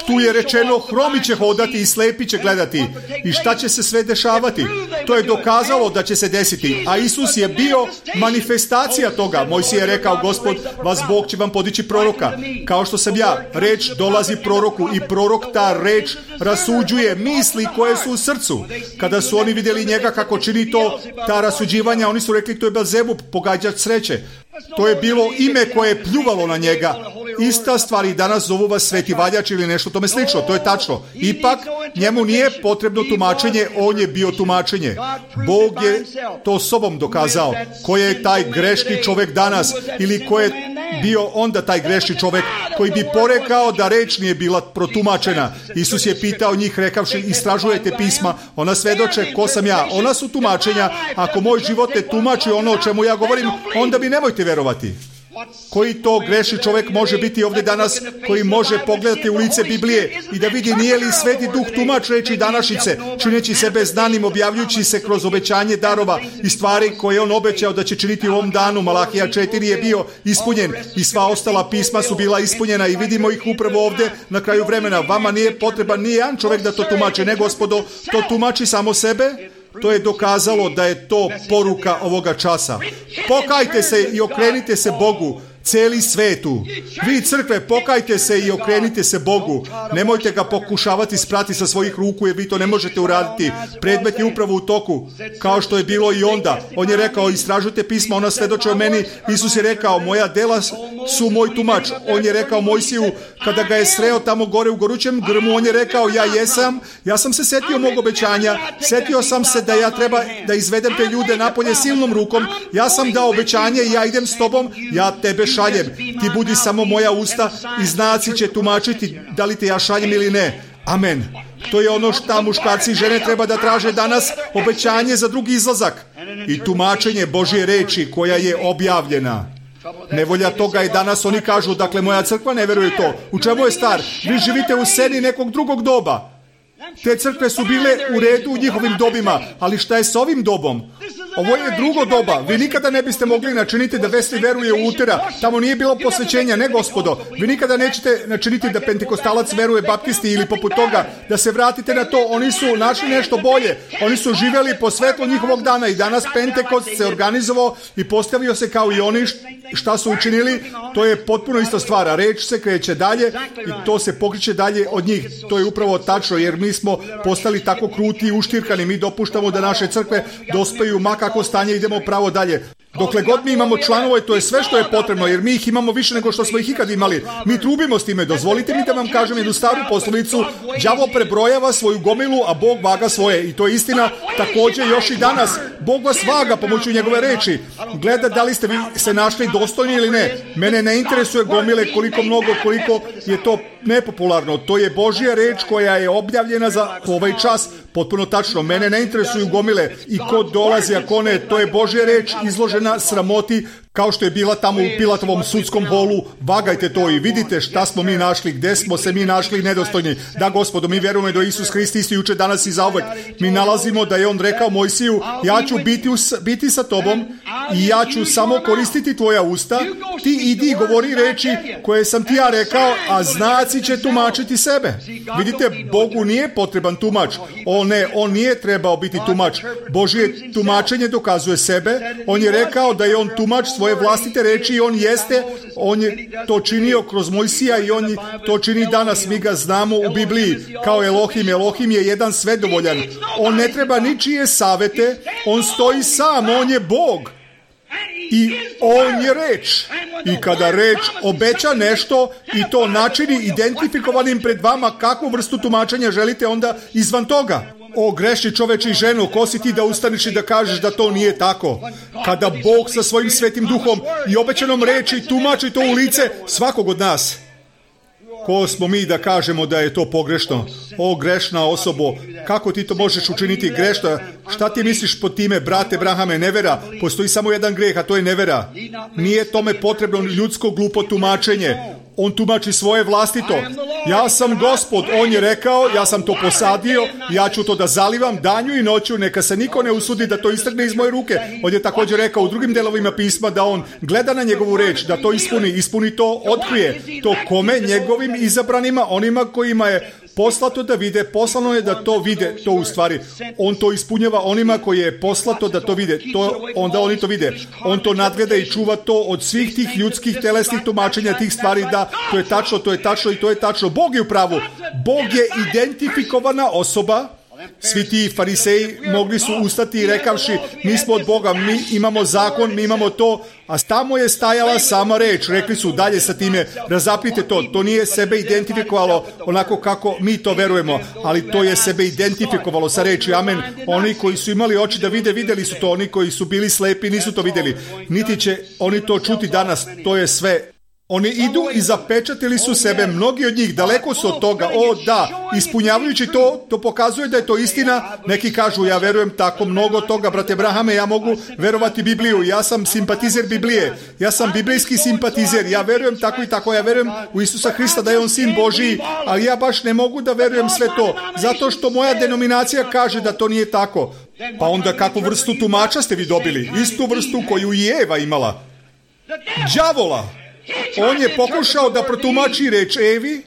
Tu je rečeno, hromi će hodati i slepi će gledati. I šta će se sve dešavati? To je dokazalo da će se desiti. A Isus je bio manifestacija toga. Mojsije je rekao, Gospod, vas Bog će vam podići proroka. Kao što sam ja, reč dolazi proroku i prorok ta reč rasuđuje misli koje su u srcu. Kada su oni vidjeli njega kako čini to, ta rasuđivanja, oni su rekli, to je Belzebub, pogađač sreće. To je bilo ime koje je pljuvalo na njega. Ista stvar i danas zovu vas sveti valjač ili nešto tome slično. To je tačno. Ipak, njemu nije potrebno tumačenje, on je bio tumačenje. Bog je to sobom dokazao. Ko je taj grešni čovjek danas ili ko je bio onda taj grešni čovjek koji bi porekao da reč nije bila protumačena. Isus je pitao njih rekavši, istražujete pisma, ona svedoče ko sam ja. Ona su tumačenja. Ako moj život ne tumači ono o čemu ja govorim, onda mi nemojte verovati. Koji to grešni čovjek može biti ovdje danas, koji može pogledati u lice Biblije i da vidi nije li Sveti Duh tumač reči današnjice, čineći sebe znanim, objavljujući se kroz obećanje darova i stvari koje on obećao da će činiti u ovom danu. Malahija četiri je bio ispunjen i sva ostala pisma su bila ispunjena i vidimo ih upravo ovdje na kraju vremena. Vama nije potreban ni jedan čovjek da to tumači, ne, Gospodo, to tumači samo sebe. To je dokazalo da je to poruka ovoga časa. Pokajte se i okrenite se Bogu. Celi svetu. Vi crkve, pokajte se i okrenite se Bogu. Nemojte ga pokušavati sprati sa svojih ruku, jer vi to ne možete uraditi. Predmet je upravo u toku, kao što je bilo i onda. On je rekao, istražujte pisma, ona svedoče o meni. Isus je rekao, moja dela su moj tumač. On je rekao Mojsiju, kada ga je sreo tamo gore u gorućem grmu, on je rekao, ja jesam, ja sam se setio mog obećanja, setio sam se da ja treba da izvedem te ljude napolje silnom rukom, ja sam dao obećanje i ja idem s tobom, ja tebe šaljem, ti budi samo moja usta i znaci će tumačiti da li te ja šaljem ili ne. Amen. To je ono što muškarci i žene treba da traže danas, obećanje za drugi izlazak i tumačenje Božje reči koja je objavljena. Nevolja toga je danas, oni kažu, dakle moja crkva ne veruje to. U čemu je star? Vi živite u seni nekog drugog doba. Te crkve su bile u redu u njihovim dobima, ali šta je s ovim dobom? Ovo je drugo doba. Vi nikada ne biste mogli načiniti da Wesley veruje u Lutera. Tamo nije bilo posvećenja, ne gospodo. Vi nikada nećete načiniti da Pentekostalac veruje Baptisti ili poput toga. Da se vratite na to. Oni su našli nešto bolje. Oni su živjeli po svetlu njihovog dana i danas Pentekost se organizovao i postavio se kao i oni šta su učinili. To je potpuno ista stvar. A reč se kreće dalje i to se pokreće dalje od njih. To je upravo tačno, jer mi smo postali tako kruti i uštirkani. Mi dopuštamo da naše crkve dospeju mak kako stanje, idemo pravo dalje. Dokle god mi imamo članova, to je sve što je potrebno, jer mi ih imamo više nego što smo ih ikad imali. Mi trubimo s time. Dozvolite mi da vam kažem jednu staru poslovicu. Đavo prebrojava svoju gomilu, a Bog vaga svoje. I to je istina također još i danas. Bog vas vaga pomoću njegove reči. Gleda da li ste vi se našli dostojni ili ne. Mene ne interesuje gomile koliko mnogo, koliko je to nepopularno. To je Božja reč koja je objavljena za ovaj čas. Potpuno tačno. Mene ne interesuju gomile i ko dolazi, a ko ne. To je Božja reč izložena sramoti, kao što je bila tamo u Pilatovom sudskom holu. Vagajte to i vidite šta smo mi našli, gde smo se mi našli nedostojni. Da, gospodo, mi vjerujemo da Isus Hrist isti juče, danas i zauvek. Mi nalazimo da je on rekao Mojsiju, ja ću biti, us, biti sa tobom i ja ću samo koristiti tvoja usta. Ti idi i govori reči koje sam ti ja rekao, a znaci će tumačiti sebe. Vidite, Bogu nije potreban tumač. O ne, on nije trebao biti tumač. Božje tumačenje dokazuje sebe. On je rekao da je on tumač svoje vlastite reči i on jeste, on je to činio kroz Mojsija i on to čini danas. Mi ga znamo u Bibliji kao Elohim. Elohim je jedan svedovoljan. On ne treba ničije savete, on stoji sam, on je Bog. I on je reč. I kada reč obeća nešto i to načini identifikovanim pred vama kakvu vrstu tumačenja želite, onda izvan toga. O grešni čoveče i ženo, ko si ti da ustaniš i da kažeš da to nije tako? Kada Bog sa svojim svetim duhom i obećanom reči tumači to u lice svakog od nas. Ko smo mi da kažemo da je to pogrešno? O grešna osobo, kako ti to možeš učiniti grešno? Šta ti misliš pod time, brate Brahame? Nevera. Postoji samo jedan greh, a to je nevera. Nije tome potrebno ljudsko glupo tumačenje. On tumači svoje vlastito. Ja sam Gospod, on je rekao, ja sam to posadio, ja ću to da zalivam danju i noću, neka se niko ne usudi da to istrgne iz moje ruke. On je također rekao u drugim delovima pisma da on gleda na njegovu reč, da to ispuni, ispuni to, otkrije. To kome? Njegovim izabranima, onima kojima je poslato da vide, poslano je da to vide, to u stvari. On to ispunjava onima koji je poslato da to vide, to, onda oni to vide. On to nadgleda i čuva to od svih tih ljudskih telesnih tumačenja tih stvari, da to je tačno, to je tačno i to je tačno. Bog je u pravu. Bog je identifikovana osoba. Svi ti fariseji mogli su ustati i rekavši, mi smo od Boga, mi imamo zakon, mi imamo to, a tamo je stajala sama reč. Rekli su dalje sa time, razapnite to, to nije sebe identifikovalo onako kako mi to verujemo, ali to je sebe identifikovalo sa reči, amen. Oni koji su imali oči da vide, vidjeli su to, oni koji su bili slepi nisu to vidjeli, niti će oni to čuti danas, to je sve. Oni idu i zapečatili su sebe, mnogi od njih, daleko su od toga. O da, ispunjavajući to, to pokazuje da je to istina. Neki kažu, ja verujem tako mnogo toga, brate Brahame, ja mogu verovati Bibliju, ja sam simpatizer Biblije, ja sam biblijski simpatizer, ja verujem tako i tako, ja verujem u Isusa Hrista da je on sin Božiji, ali ja baš ne mogu da verujem sve to, zato što moja denominacija kaže da to nije tako. Pa onda kakvu vrstu tumača ste vi dobili? Istu vrstu koju i Eva imala. Đavola. On je pokušao da protumači reč Evi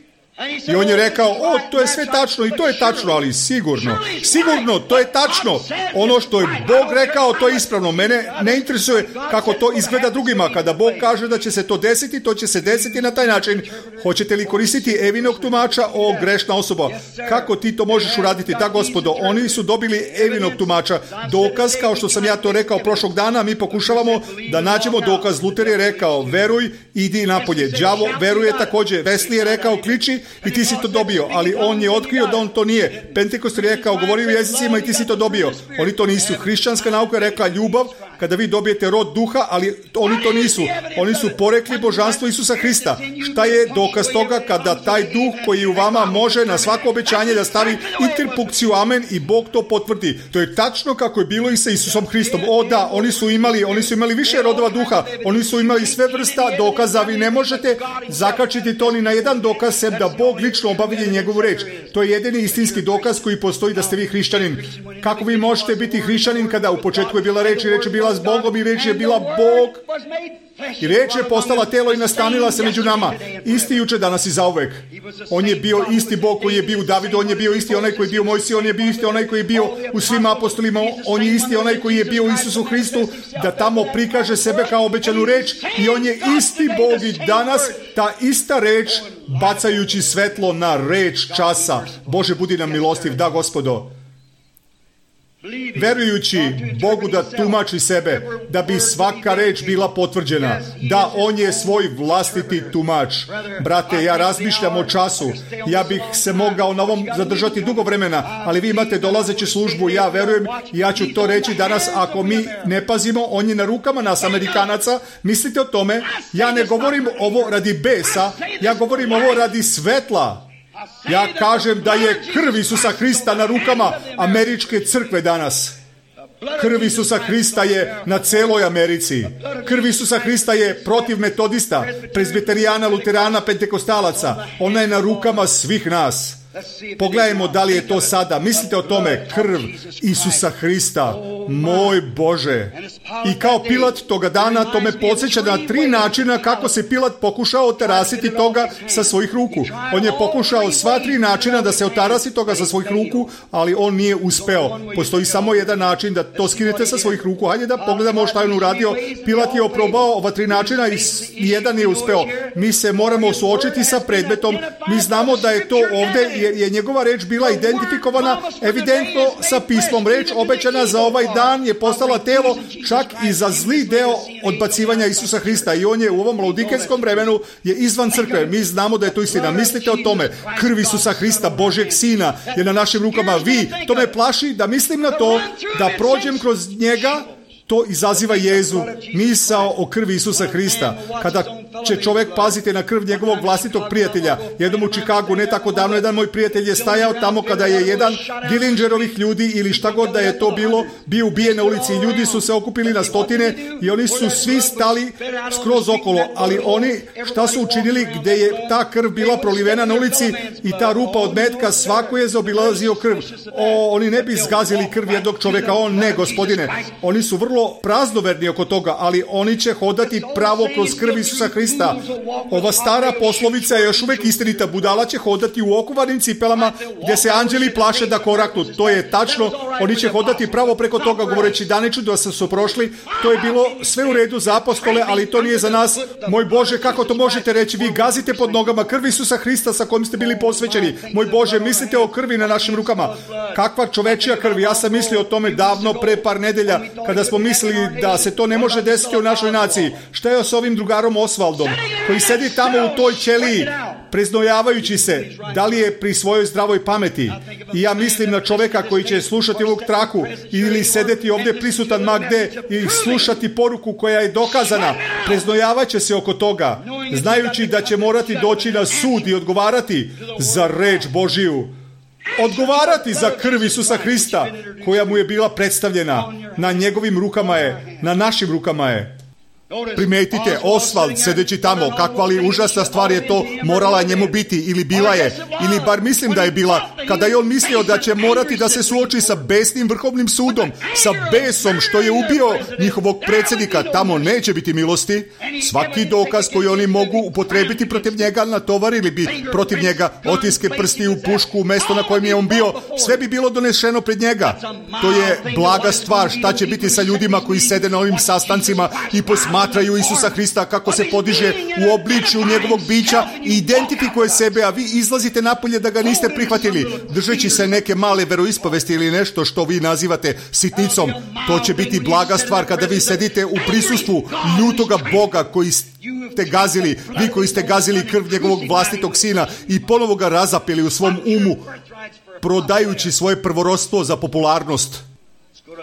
I on je rekao, o, to je sve tačno i to je tačno, ali sigurno, sigurno, to je tačno. Ono što je Bog rekao, to je ispravno. Mene ne interesuje kako to izgleda drugima. Kada Bog kaže da će se to desiti, to će se desiti na taj način. Hoćete li koristiti Evinog tumača, o grešna osoba? Kako ti to možeš uraditi? Da, gospodo, oni su dobili Evinog tumača. Dokaz, kao što sam ja to rekao prošlog dana, mi pokušavamo da nađemo dokaz. Luter je rekao, veruj, idi napolje. Đavo veruje također. Wesley je rekao, kliči, i ti si to dobio, ali on je otkrio da on to nije. Pentekost je rekao, govori u jezicima i ti si to dobio. Oni to nisu. Hrišćanska nauka je rekla ljubav, kada vi dobijete rod duha, ali oni to nisu. Oni su porekli božanstvo Isusa Hrista. Šta je dokaz toga? Kada taj duh koji u vama može na svako obećanje da stavi interpunkciju amen i Bog to potvrdi. To je tačno kako je bilo i sa Isusom Hristom. O da, oni su imali, oni su imali više rodova duha. Oni su imali sve vrsta dokaza. Vi ne možete zakačiti to ni na jedan dokaz, sem da Bog lično obavlja njegovu reč. To je jedini istinski dokaz koji postoji da ste vi hrišćanin. Kako vi možete biti hrišćanin kada u početku je bila reč i reč je bila s Bogom i reč je bila Bog i reč je postala telo i nastanila se među nama. Isti juče, danas i zauvek. On je bio isti Bog koji je bio u Davidu, on je bio isti onaj koji je bio u Mojsiju, on je bio isti onaj koji je bio u svim apostolima, on je isti onaj koji je bio u Isusu Hristu, da tamo prikaže sebe kao obećanu reč, i on je isti Bog i danas, ta ista reč, bacajući svetlo na reč časa. Bože, budi nam milostiv, da, gospodo. Verujući Bogu da tumači sebe, da bi svaka reč bila potvrđena, da on je svoj vlastiti tumač. Brate, ja razmišljam o času, ja bih se mogao na ovom zadržati dugo vremena, ali vi imate dolazeću službu, ja verujem, ja ću to reći danas, ako mi ne pazimo, on je na rukama nas, Amerikanaca. Mislite o tome, ja ne govorim ovo radi besa, ja govorim ovo radi svetla. Ja kažem da je krv Isusa Hrista na rukama američke crkve danas. Krv Isusa Hrista je na celoj Americi. Krv Isusa Hrista je protiv metodista, prezbiterijana, luterana, pentekostalaca. Ona je na rukama svih nas. Pogledajmo da li je to sada. Mislite o tome, krv Isusa Hrista, moj Bože. I kao Pilat toga dana, to me podsjeća na tri načina kako se Pilat pokušao otarasiti toga sa svojih ruku. On je pokušao sva tri načina da se otarasi toga sa svojih ruku, ali on nije uspeo. Postoji samo jedan način da to skinete sa svojih ruku. Hajde da pogledamo šta je on uradio. Pilat je oprobao ova tri načina i jedan nije uspeo. Mi se moramo suočiti sa predmetom. Mi znamo da je to ovde, jer je njegova reč bila identifikovana evidentno sa pismom. Reč obećana za ovaj dan je postala telo čak i za zli deo odbacivanja Isusa Hrista, i on je u ovom laudikejskom vremenu je izvan crkve. Mi znamo da je to istina. Mislite o tome. Krv Isusa Hrista, Božjeg Sina, je na našim rukama. Vi, to me plaši da mislim na to, da prođem kroz njega. To izaziva jezu, misao o krvi Isusa Hrista. Kada će čovjek paziti na krv njegovog vlastitog prijatelja. Jednom u Čikagu, ne tako davno, jedan moj prijatelj je stajao tamo kada je jedan Dillingerovih ljudi ili šta god da je to bilo, bio ubijen na ulici. Ljudi su se okupili na stotine i oni su svi stali skroz okolo. Ali oni šta su učinili gdje je ta krv bila prolivena na ulici i ta rupa od metka, svako je zaobilazio krv. O, oni ne bi zgazili krv jednog čovjeka. On ne, gospodine. Oni su vrlo praznoverni oko toga, ali oni će hodati pravo kroz krv Isusa Hrista. Ova stara poslovica je još uvijek istinita. Budala će hodati u okuvanim cipelama gdje se anđeli plaše da koraknu. To je tačno. Oni će hodati pravo preko toga, govoreći daniču da su prošli. To je bilo sve u redu za apostole, ali to nije za nas. Moj Bože, kako to možete reći? Vi gazite pod nogama krv Isusa Hrista sa kojim ste bili posvećeni. Moj Bože, mislite o krvi na našim rukama. Kakva čovečija krv? Ja sam mislio o tome davno pre par nedelja, kada smo mislili da se to ne može desiti u našoj naciji. Šta je s ovim drugarom Osvaldom, koji sedi tamo u toj ćeliji, preznojavajući se, da li je pri svojoj zdravoj pameti? I ja mislim na čovjeka koji će slušati ovog traku ili sedeti ovdje prisutan ma gde ili slušati poruku koja je dokazana. Preznojavaće se oko toga, znajući da će morati doći na sud i odgovarati za reč Božiju. Odgovarati za krv Isusa Hrista koja mu je bila predstavljena. Na njegovim rukama je, na našim rukama je. Primetite, Osvald sedeći tamo, kakva li užasna stvar je to morala njemu biti, ili bila je, ili bar mislim da je bila, kada je on mislio da će morati da se suoči sa besnim vrhovnim sudom, sa besom što je ubio njihovog predsjednika. Tamo neće biti milosti. Svaki dokaz koji oni mogu upotrebiti protiv njega, natovarili bi protiv njega otiske prsti u pušku u mesto na kojem je on bio, sve bi bilo donešeno pred njega. To je blaga stvar. Šta će biti sa ljudima koji sede na ovim sastancima i posmatraju Isusa Hrista kako se podiže u obličju njegovog bića i identifikuje sebe, a vi izlazite napolje da ga niste prihvatili, držeći se neke male veroispovesti ili nešto što vi nazivate sitnicom. To će biti blaga stvar kada vi sedite u prisustvu ljutoga Boga koji ste gazili, vi koji ste gazili krv njegovog vlastitog sina i ponovo ga razapeli u svom umu, prodajući svoje prvorodstvo za popularnost.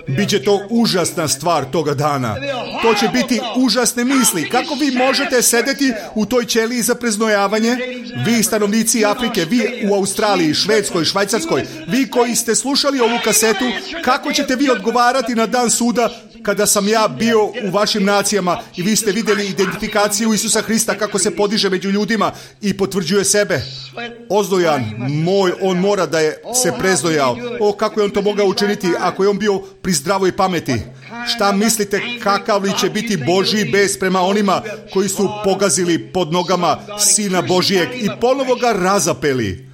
Biće to užasna stvar toga dana. To će biti užasne misli. Kako vi možete sedeti u toj ćeliji za preznojavanje? Vi stanovnici Afrike, vi u Australiji, Švedskoj, Švajcarskoj, vi koji ste slušali ovu kasetu, kako ćete vi odgovarati na dan suda kada sam ja bio u vašim nacijama i vi ste vidjeli identifikaciju Isusa Hrista kako se podiže među ljudima i potvrđuje sebe? Ozdojan moj, on mora da je se preznojao. O, kako je on to mogao učiniti ako je on bio pri zdravoj pameti? Šta mislite kakav li će biti Božji bes prema onima koji su pogazili pod nogama Sina Božijeg i ponovo ga razapeli?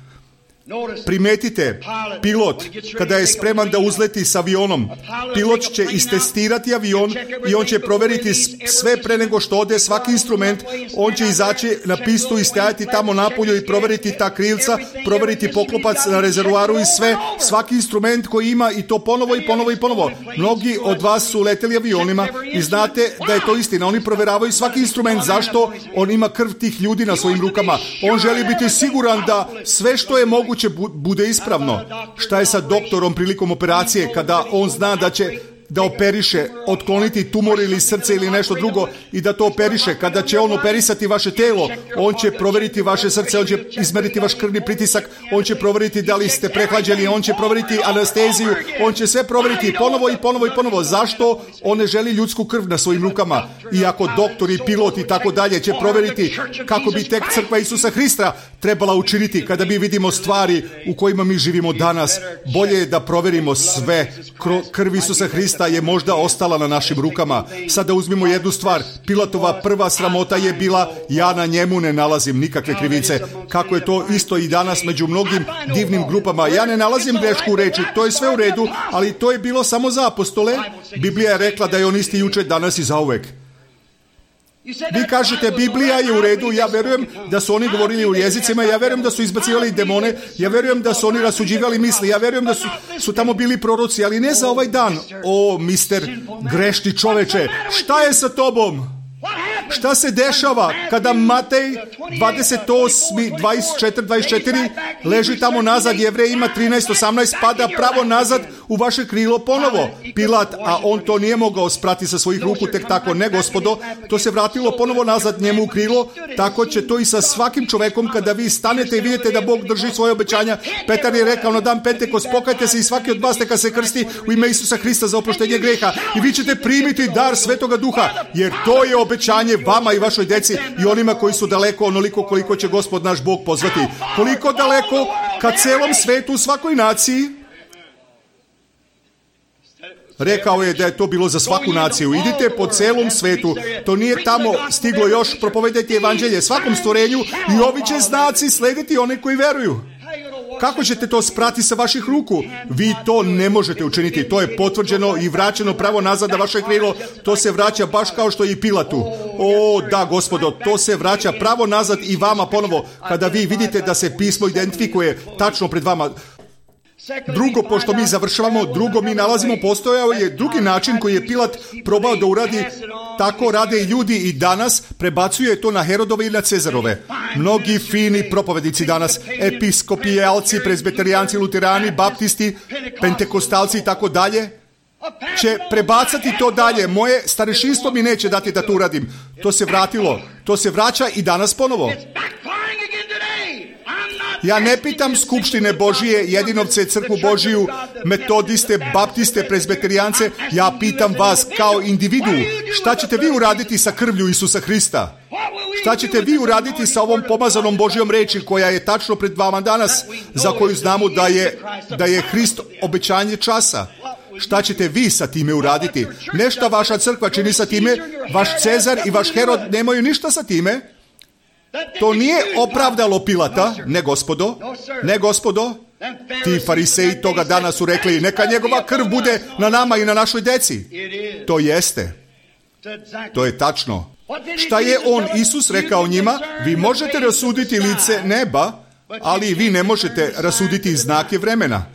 Primetite, pilot, kada je spreman da uzleti s avionom, pilot će istestirati avion i on će proveriti sve pre nego što ode svaki instrument. On će izaći na pistu i stajati tamo napolju i proveriti ta krilca, proveriti poklopac na rezervoaru i sve, svaki instrument koji ima, i to ponovo i ponovo i ponovo. Mnogi od vas su leteli avionima i znate da je to istina. Oni proveravaju svaki instrument. Zašto? On ima krv tih ljudi na svojim rukama. On želi biti siguran da sve što je moguće će bude ispravno. Šta je sa doktorom prilikom operacije kada on zna da će da operiše, otkloniti tumor ili srce ili nešto drugo i da to operiše? Kada će on operisati vaše telo, on će proveriti vaše srce, on će izmeriti vaš krvni pritisak, on će proveriti da li ste prehlađeni, on će proveriti anesteziju, on će sve proveriti ponovo i ponovo i ponovo. Zašto? On ne želi ljudsku krv na svojim rukama. I ako doktor i pilot i tako dalje će proveriti kako bi tek crkva Isusa Hrista trebala učiniti kada mi vidimo stvari u kojima mi živimo danas, bolje je da proverimo sve. Krv Isusa Hrista je možda ostala na našim rukama. Sada uzmimo jednu stvar. Pilatova prva sramota je bila: ja na njemu ne nalazim nikakve krivice. Kako je to isto i danas među mnogim divnim grupama. Ja ne nalazim grešku u reči, to je sve u redu, ali to je bilo samo za apostole. Biblija je rekla da je on isti juče, danas i zauvek. Vi kažete Biblija je u redu, ja verujem da su oni govorili u jezicima, ja verujem da su izbacivali demone, ja verujem da su oni rasuđivali misli, ja verujem da su, su tamo bili proroci, ali ne za ovaj dan. O, mister grešni čoveče, šta je sa tobom? Šta se dešava kada Matej dvadeset osam, dvadeset četiri, dvadeset četiri leži tamo nazad, Jevrej ima trinaest, osamnaest, pada pravo nazad u vaše krilo ponovo? Pilat, a on to nije mogao sprati sa svojih ruku tek tako, ne gospodo, to se vratilo ponovo nazad njemu u krilo. Tako će to i sa svakim čovekom kada vi stanete i vidite da Bog drži svoje obećanja. Petar je rekao na dan Pentekost: pokajte se i svaki od vas neka se krsti u ime Isusa Hrista za oproštenje greha i vi ćete primiti dar Svetoga Duha, jer to je obećanje vama i vašoj deci i onima koji su daleko, onoliko koliko će Gospod naš Bog pozvati. Koliko daleko? Ka celom svetu, u svakoj naciji. Rekao je da je to bilo za svaku naciju. Idite po celom svetu. To nije tamo stiglo još. Propovedajte evanđelje svakom stvorenju i ovi će znaci slediti one koji veruju. Kako ćete to sprati sa vaših ruku? Vi to ne možete učiniti. To je potvrđeno i vraćeno pravo nazad na vaše krilo. To se vraća baš kao što i Pilatu. O, da, gospodo, to se vraća pravo nazad i vama ponovo kada vi vidite da se pismo identifikuje tačno pred vama. Drugo, pošto mi završavamo, drugo mi nalazimo, postojao je drugi način koji je Pilat probao da uradi. Tako rade i ljudi i danas, prebacuje to na Herodove i na Cezarove. Mnogi fini propovednici danas, episkopijalci, prezbeterijanci, luterani, baptisti, pentekostalci i tako dalje, će prebacati to dalje. Moje starešinstvo mi neće dati da to uradim. To se vratilo, to se vraća i danas ponovo. Ja ne pitam skupštine Božije, jedinovce, crkvu Božiju, metodiste, baptiste, prezbeterijance. Ja pitam vas kao individu, šta ćete vi uraditi sa krvlju Isusa Hrista? Šta ćete vi uraditi sa ovom pomazanom Božjom reči koja je tačno pred vama danas, za koju znamo da je, da je Hrist obećanje časa? Šta ćete vi sa time uraditi? Nešto vaša crkva čini sa time, vaš Cezar i vaš Herod nemaju ništa sa time. To nije opravdalo Pilata, ne gospodo, ne gospodo. Ti fariseji toga dana su rekli, neka njegova krv bude na nama i na našoj deci. To jeste. To je tačno. Šta je on, Isus, rekao njima? Vi možete rasuditi lice neba, ali vi ne možete rasuditi znake vremena.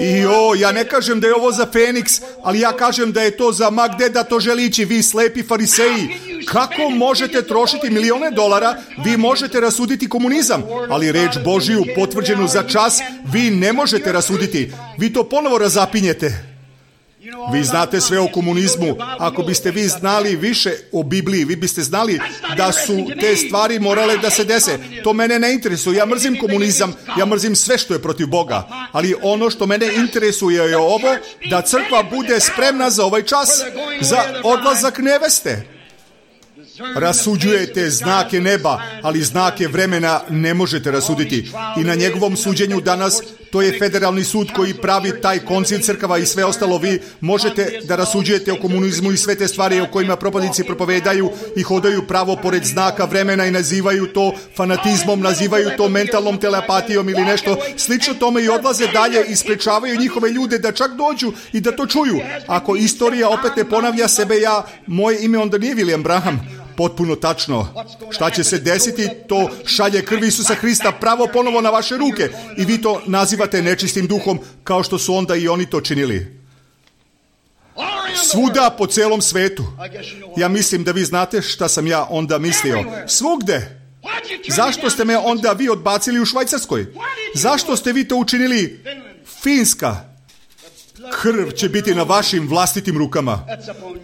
I o, ja ne kažem da je ovo za Feniks, ali ja kažem da je to za ma gde da to želi ići, vi slepi fariseji. Kako možete trošiti milione dolara? Vi možete rasuditi komunizam, ali reč Božiju potvrđenu za čas vi ne možete rasuditi. Vi to ponovo razapinjete. Vi znate sve o komunizmu. Ako biste vi znali više o Bibliji, vi biste znali da su te stvari morale da se dese. To mene ne interesuje. Ja mrzim komunizam, ja mrzim sve što je protiv Boga. Ali ono što mene interesuje je ovo, da crkva bude spremna za ovaj čas, za odlazak neveste. Rasuđujete znake neba, ali znake vremena ne možete rasuditi. I na njegovom suđenju danas, to je federalni sud koji pravi taj koncil crkava i sve ostalo, vi možete da rasuđujete o komunizmu i sve te stvari o kojima propadnici propovedaju i hodaju pravo pored znaka vremena i nazivaju to fanatizmom, nazivaju to mentalnom telepatijom ili nešto slično tome i odlaze dalje i sprečavaju njihove ljude da čak dođu i da to čuju. Ako istorija opet ne ponavlja sebe, ja, moje ime onda nije William Branham. Potpuno tačno. Šta će se desiti, to šalje krv Isusa Hrista pravo ponovo na vaše ruke i vi to nazivate nečistim duhom kao što su onda i oni to činili. Svuda po celom svetu. Ja mislim da vi znate šta sam ja onda mislio. Svugde. Zašto ste me onda vi odbacili u Švajcarskoj? Zašto ste vi to učinili? Finska. Krv će biti na vašim vlastitim rukama.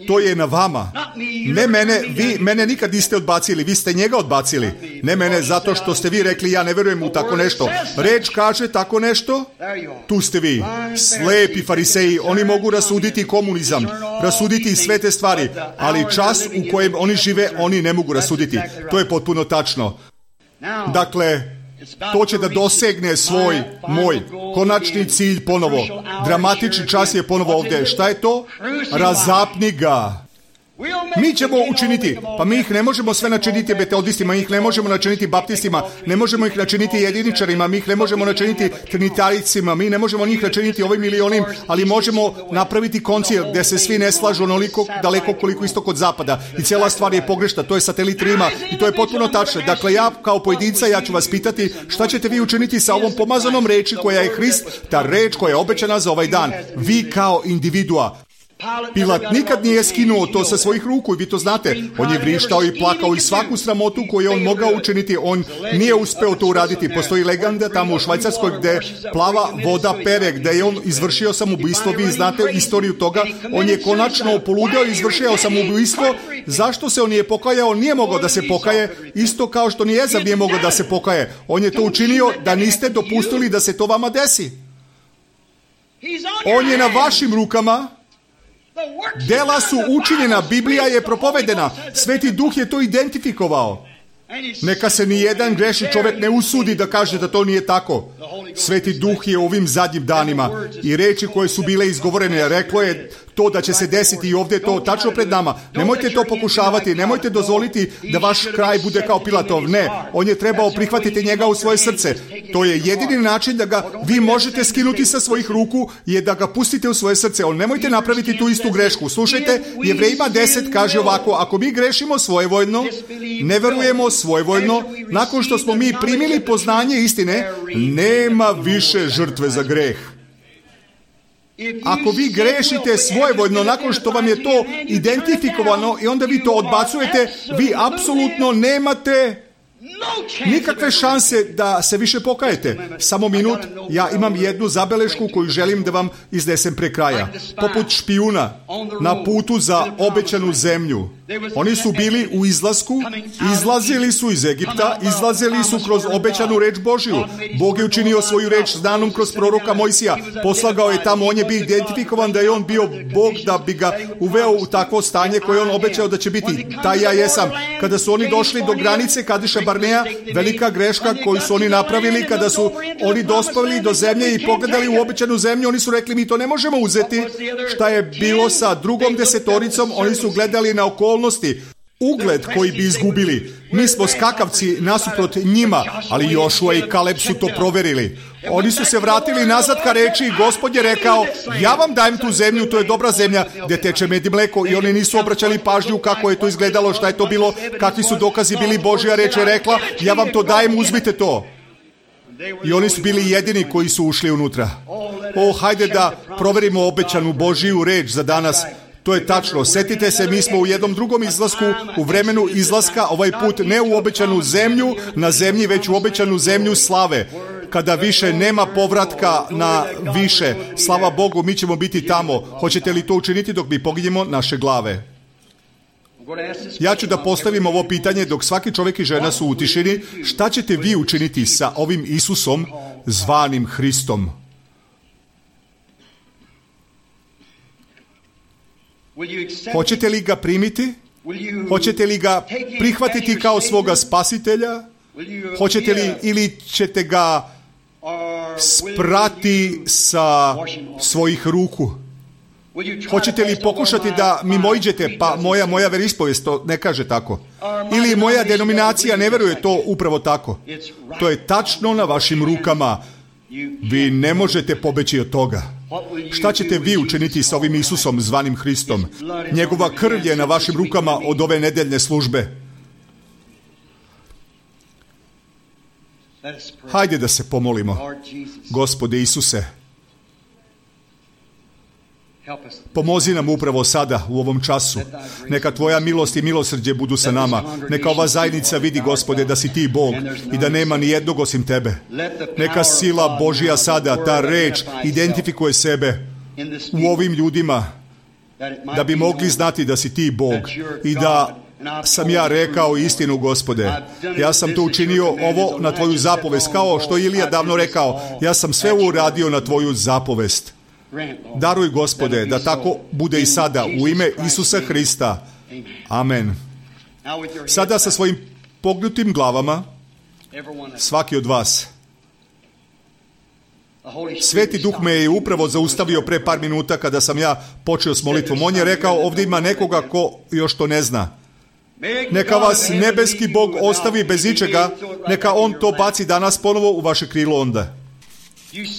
To je na vama. Ne mene, vi mene nikad niste odbacili, vi ste njega odbacili. Ne mene zato što ste vi rekli ja ne verujem u tako nešto. Reč kaže tako nešto, tu ste vi. Slepi fariseji, oni mogu rasuditi komunizam, rasuditi sve te stvari, ali čas u kojem oni žive, oni ne mogu rasuditi. To je potpuno tačno. Dakle, to će da dosegne svoj, moj, konačni cilj ponovo. Dramatični čas je ponovo ovdje. Šta je to? Razapni ga. Mi ćemo učiniti, pa mi ih ne možemo sve načiniti metodistima, mi ih ne možemo načiniti baptistima, ne možemo ih načiniti jediničarima, mi ih ne možemo načiniti trinitaricima, mi ne možemo njih načiniti ovim ili onim, ali možemo napraviti koncil gdje se svi ne slažu onoliko daleko koliko istok od zapada i cijela stvar je pogrešna, to je satelit Rima i to je potpuno tačno. Dakle, ja kao pojedinca, ja ću vas pitati šta ćete vi učiniti sa ovom pomazanom reči koja je Hrist, ta reč koja je obećana za ovaj dan. Vi kao individua. Pilat nikad nije skinuo to sa svojih ruku i vi to znate. On je vrištao i plakao i svaku sramotu koju je on mogao učiniti, on nije uspeo to uraditi. Postoji legenda tamo u Švajcarskoj gdje plava voda pere, gdje je on izvršio samoubistvo. Vi znate istoriju toga. On je konačno poludeo i izvršio samoubistvo. Zašto se on nije pokajao? On nije mogao da se pokaje, isto kao što ni Ezav nije mogao da se pokaje. On je to učinio da niste dopustili da se to vama desi. On je na vašim rukama. Dela su učinjena, Biblija je propovedena, Sveti Duh je to identifikovao. Neka se ni jedan grešni čovjek ne usudi da kaže da to nije tako. Sveti Duh je u ovim zadnjim danima i reči koje su bile izgovorene, reklo je to da će se desiti i ovdje to tačno pred nama. Nemojte to pokušavati, nemojte dozvoliti da vaš kraj bude kao Pilatov. Ne, on je trebao prihvatiti njega u svoje srce. To je jedini način da ga vi možete skinuti sa svojih ruku, je da ga pustite u svoje srce. On nemojte napraviti tu istu grešku. Slušajte, Jevrejima deset kaže ovako, ako mi grešimo svojevoljno, ne verujemo svojevoljno, nakon što smo mi primili poznanje istine, nema više žrtve za greh. Ako vi grešite svojevoljno nakon što vam je to identifikovano i onda vi to odbacujete, vi apsolutno nemate nikakve šanse da se više pokajete. Samo minut, ja imam jednu zabelešku koju želim da vam iznesem pre kraja. Poput špijuna na putu za obećanu zemlju. Oni su bili u izlasku, izlazili su iz Egipta, izlazili su kroz obećanu reč Božiju. Bog je učinio svoju reč znanom kroz proroka Mojsija. Poslagao je tamo, on je bio identifikovan da je on bio Bog, da bi ga uveo u takvo stanje koje on obećao da će biti. Taj ja jesam. Kada su oni došli do granice Kadeša Barnea, velika greška koju su oni napravili, kada su oni dospeli do zemlje i pogledali u obećanu zemlju, oni su rekli mi to ne možemo uzeti. Šta je bilo sa drugom desetoricom? Oni su gledali na okolnosti, ugled koji bi izgubili. Mi smo skakavci nasuprot njima, ali Jošua i Kaleb su to proverili. Oni su se vratili nazad ka reči i Gospod je rekao, ja vam dajem tu zemlju, to je dobra zemlja gdje teče med i mleko, i oni nisu obraćali pažnju kako je to izgledalo, šta je to bilo, kakvi su dokazi bili. Božja reč je rekla, ja vam to dajem, uzmite to. I oni su bili jedini koji su ušli unutra. O, hajde da proverimo obećanu Božiju reč za danas. To je tačno. Sjetite se, mi smo u jednom drugom izlasku, u vremenu izlaska, ovaj put ne u obećanu zemlju na zemlji, već u obećanu zemlju slave. Kada više nema povratka na više, slava Bogu, mi ćemo biti tamo. Hoćete li to učiniti dok mi poginjemo naše glave? Ja ću da postavim ovo pitanje dok svaki čovjek i žena su u tišini. Šta ćete vi učiniti sa ovim Isusom zvanim Hristom? Hoćete li ga primiti? Hoćete li ga prihvatiti kao svoga spasitelja? Hoćete li ili ćete ga sprati sa svojih ruku? Hoćete li pokušati da mimoiđete, pa moja moja veroispovest to ne kaže tako. Ili moja denominacija ne veruje to upravo tako. To je tačno na vašim rukama. Vi ne možete pobeći od toga. Šta ćete vi učiniti sa ovim Isusom zvanim Hristom? Njegova krv je na vašim rukama od ove nedeljne službe. Hajde da se pomolimo. Gospode Isuse, pomozi nam upravo sada, u ovom času. Neka tvoja milost i milosrđe budu sa nama. Neka ova zajednica vidi, Gospode, da si ti Bog i da nema ni jednog osim tebe. Neka sila Božja sada, ta reč, identifikuje sebe u ovim ljudima, da bi mogli znati da si ti Bog i da sam ja rekao istinu, Gospode. Ja sam to učinio ovo na tvoju zapovest, kao što Ilija davno rekao, ja sam sve uradio na tvoju zapovest. Daruj, Gospode, da tako bude i sada, u ime Isusa Hrista. Amen. Sada sa svojim pognutim glavama, svaki od vas. Sveti Duh me je upravo zaustavio pre par minuta kada sam ja počeo s molitvom. On je rekao, ovdje ima nekoga ko još to ne zna. Neka vas nebeski Bog ostavi bez ičega, neka On to baci danas ponovo u vaše krilo onda.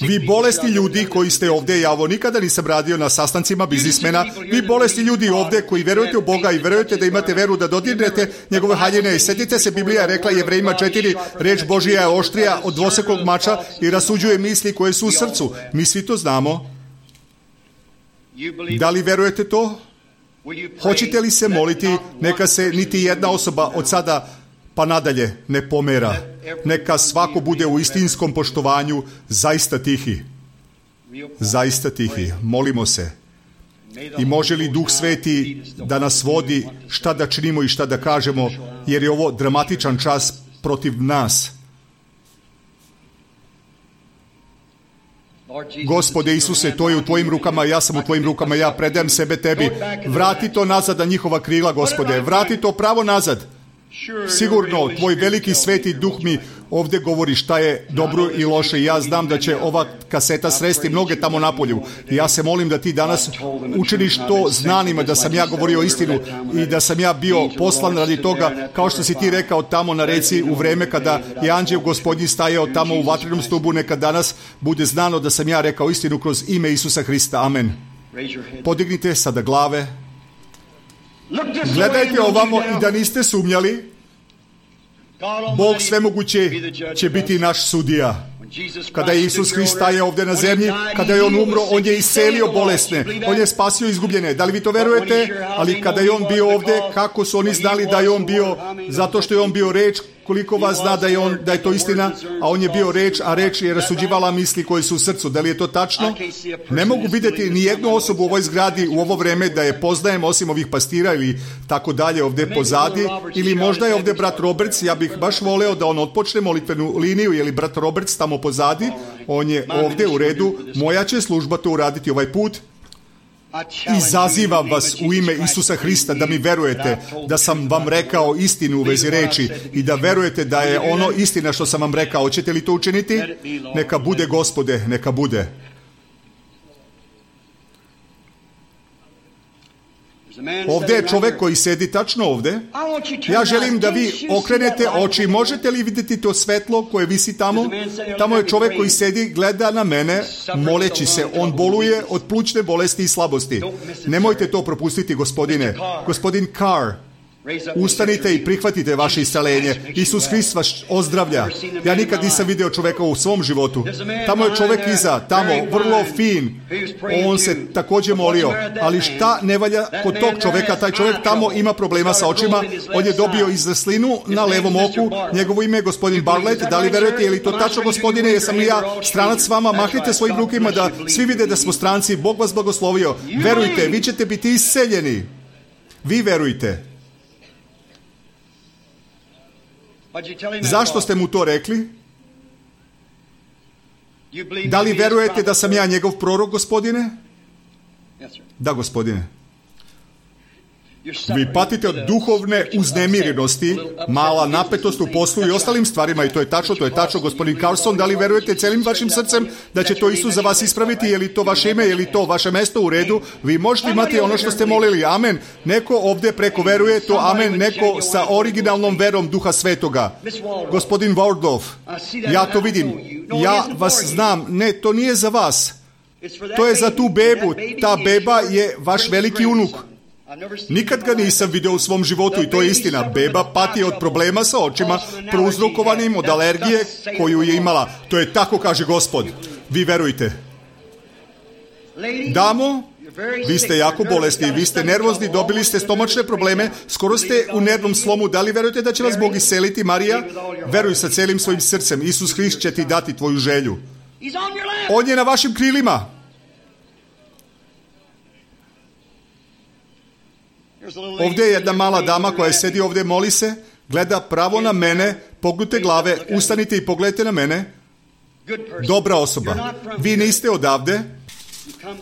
Vi bolesni ljudi koji ste ovdje, ja ovo nikada nisam radio na sastancima biznismena, vi bolesni ljudi ovdje koji verujete u Boga i verujete da imate veru da dodirnete njegove haljine. I sjetite se, Biblija je rekla Jevrejima četiri, reč Božija je oštrija od dvosekog mača i rasuđuje misli koje su u srcu. Mi svi to znamo. Da li verujete to? Hoćete li se moliti, neka se niti jedna osoba od sada pa nadalje ne pomera. Neka svako bude u istinskom poštovanju zaista tihi. Zaista tihi. Molimo se. I može li Duh Sveti da nas vodi šta da činimo i šta da kažemo, jer je ovo dramatičan čas protiv nas. Gospode Isuse, to je u tvojim rukama, ja sam u tvojim rukama, ja predajem sebe tebi. Vrati to nazad na njihova krila, Gospode. Vrati to pravo nazad. Sigurno, tvoj veliki sveti Duh mi ovdje govori šta je dobro i loše. Ja znam da će ova kaseta sresti mnoge tamo napolju. I ja se molim da ti danas učiniš to znanima, da sam ja govorio istinu i da sam ja bio poslan radi toga, kao što si ti rekao tamo na reci u vreme kada je anđeo Gospodnji stajao tamo u vatrenom stubu. Neka danas bude znano da sam ja rekao istinu kroz ime Isusa Hrista. Amen. Podignite sada glave. Gledajte ovamo i da niste sumnjali, Bog svemoguće će biti naš sudija. Kada je Isus Hrist stajao ovdje na zemlji, kada je On umro, On je iscelio bolesne, On je spasio izgubljene. Da li vi to verujete? Ali kada je On bio ovdje, kako su oni znali da je On bio? Zato što je On bio reč Koliko vas zna da je, on, da je to istina, a on je bio reč, a reč je rasuđivala misli koje su u srcu. Da li je to tačno? Ne mogu vidjeti ni jednu osobu u ovoj zgradi u ovo vreme da je poznajem, osim ovih pastira ili tako dalje ovdje pozadi. Ili možda je ovdje brat Roberts, ja bih baš voleo da on otpočne molitvenu liniju, ili brat Roberts tamo pozadi. On je ovdje u redu. Moja će služba to uraditi ovaj put. Izazivam vas u ime Isusa Hrista da mi verujete da sam vam rekao istinu u vezi reči i da verujete da je ono istina što sam vam rekao. Hoćete li to učiniti? Neka bude, Gospode, neka bude. Ovdje je čovjek koji sedi tačno ovdje. Ja želim da vi okrenete oči. Možete li vidjeti to svetlo koje visi tamo? Tamo je čovjek koji sedi, gleda na mene, moleći se. On boluje od plućne bolesti i slabosti. Nemojte to propustiti, gospodine. Gospodin Carr, ustanite i prihvatite vaše isceljenje. Isus Hrist vas ozdravlja. Ja nikad nisam vidio čovjeka u svom životu. Tamo je čovjek iza, tamo, vrlo fin. On se također molio. Ali šta ne valja kod tog čovjeka? Taj čovjek tamo ima problema sa očima. On je dobio izzaslinu na levom oku. Njegovo ime je gospodin Bartlett. Da li verujete? Je li to tačno, gospodine? Jesam li ja stranac s vama? Mahnite svojim rukima da svi vide da smo stranci. Bog vas blagoslovio. Verujte, vi ćete biti isceljeni. Vi verujte. Zašto ste mu to rekli? Da li verujete da sam ja njegov prorok, gospodine? Da, gospodine. Vi patite od duhovne uznemirenosti, mala napetost u poslu i ostalim stvarima, i to je tačno, to je tačno, gospodin Carlson. Da li verujete celim vašim srcem da će to Isus za vas ispraviti? Je li to vaše ime, je li to vaše mesto u redu? Vi možete imati ono što ste molili. Amen. Neko ovdje preko veruje to, amen. Neko sa originalnom verom Duha Svetoga. Gospodin Waldorf, ja to vidim. Ja vas znam. Ne, to nije za vas. To je za tu bebu. Ta beba je vaš veliki unuk. Nikad ga nisam vidio u svom životu i to je istina. Beba pati od problema sa očima prouzrokovanim od alergije koju je imala. To je tako, kaže Gospod. Vi verujte. Damo, vi ste jako bolesni, vi ste nervozni, dobili ste stomačne probleme, skoro ste u nervnom slomu. Da li verujete da će vas Bog isceliti, Marija? Veruj sa celim svojim srcem. Isus Hrist će ti dati tvoju želju. On je na vašim krilima. Ovdje je jedna mala dama koja sedi ovdje, moli se, gleda pravo na mene, pognute glave, ustanite i pogledajte na mene. Dobra osoba. Vi niste odavde,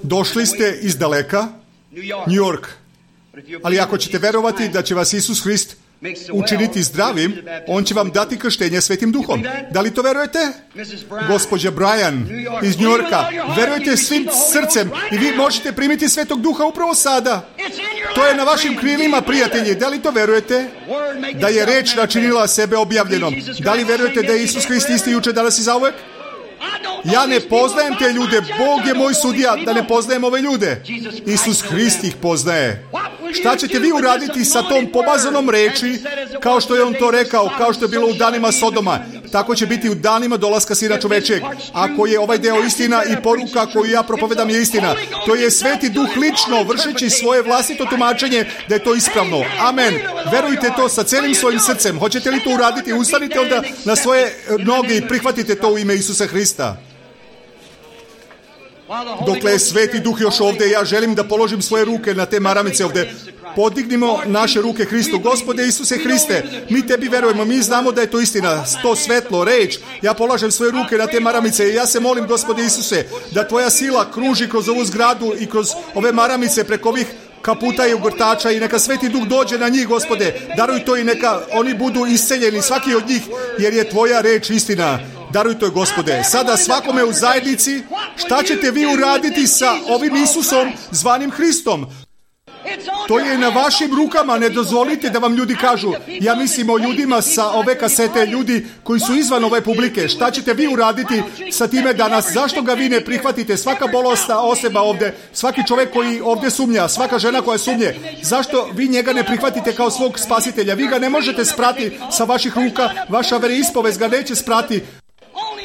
došli ste iz daleka, New York. Ali ako ćete verovati da će vas Isus Hrist učiniti zdravim, on će vam dati krštenje Svetim Duhom. Da li to verujete? Gospođa Brian iz New Yorka, verujete svim srcem i vi možete primiti Svetog Duha upravo sada. To je na vašim krilima, prijatelji. Da li to verujete? Da je reč načinila sebe objavljenom. Da li verujete da je Isus Hrist isti jučer, danas i zauvek? Ja ne poznajem te ljude. Bog je moj sudija da ne poznajem ove ljude. Isus Hrist ih poznaje. Šta ćete vi uraditi sa tom pomazanom reči, kao što je on to rekao, kao što je bilo u danima Sodoma? Tako će biti u danima dolaska Sina čovečeg. Ako je ovaj deo istina i poruka koju ja propovedam je istina, to je Sveti Duh lično vršeći svoje vlastito tumačenje da je to ispravno. Amen. Verujte to sa celim svojim srcem. Hoćete li to uraditi? Ustanite onda na svoje noge i prihvatite to u ime Isusa Hrista. Dokle je Sveti Duh još ovdje, ja želim da položim svoje ruke na te maramice ovdje. Podignimo naše ruke Hristu. Gospode Isuse Hriste, mi tebi verujemo, mi znamo da je to istina, to svetlo, reč. Ja polažem svoje ruke na te maramice i ja se molim, Gospode Isuse, da tvoja sila kruži kroz ovu zgradu i kroz ove maramice preko ovih kaputa i ugrtača i neka Sveti Duh dođe na njih, Gospode. Daruj to i neka oni budu isceljeni, svaki od njih, jer je tvoja reč istina. Daruj to, Gospode. Sada svakome u zajednici, šta ćete vi uraditi sa ovim Isusom zvanim Hristom? To je na vašim rukama, ne dozvolite da vam ljudi kažu. Ja mislim o ljudima sa ove kasete, ljudi koji su izvan ove publike. Šta ćete vi uraditi sa time danas? Zašto ga vi ne prihvatite? Svaka bolesna osoba ovdje, svaki čovjek koji ovdje sumnja, svaka žena koja sumnje. Zašto vi njega ne prihvatite kao svog spasitelja? Vi ga ne možete sprati sa vaših ruka, vaša veroispovest ga neće sprati.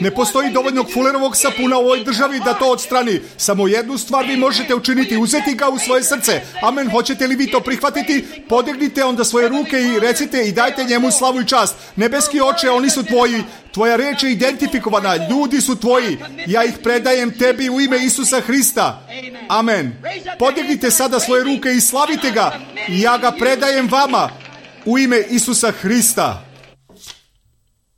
Ne postoji dovoljno fulerovog sapuna u ovoj državi da to odstrani. Samo jednu stvar vi možete učiniti, uzeti ga u svoje srce. Amen. Hoćete li vi to prihvatiti? Podignite onda svoje ruke i recite i dajte njemu slavu i čast. Nebeski Oče, oni su tvoji. Tvoja reč je identifikovana. Ljudi su tvoji. Ja ih predajem tebi u ime Isusa Hrista. Amen. Podignite sada svoje ruke i slavite ga. I ja ga predajem vama u ime Isusa Hrista.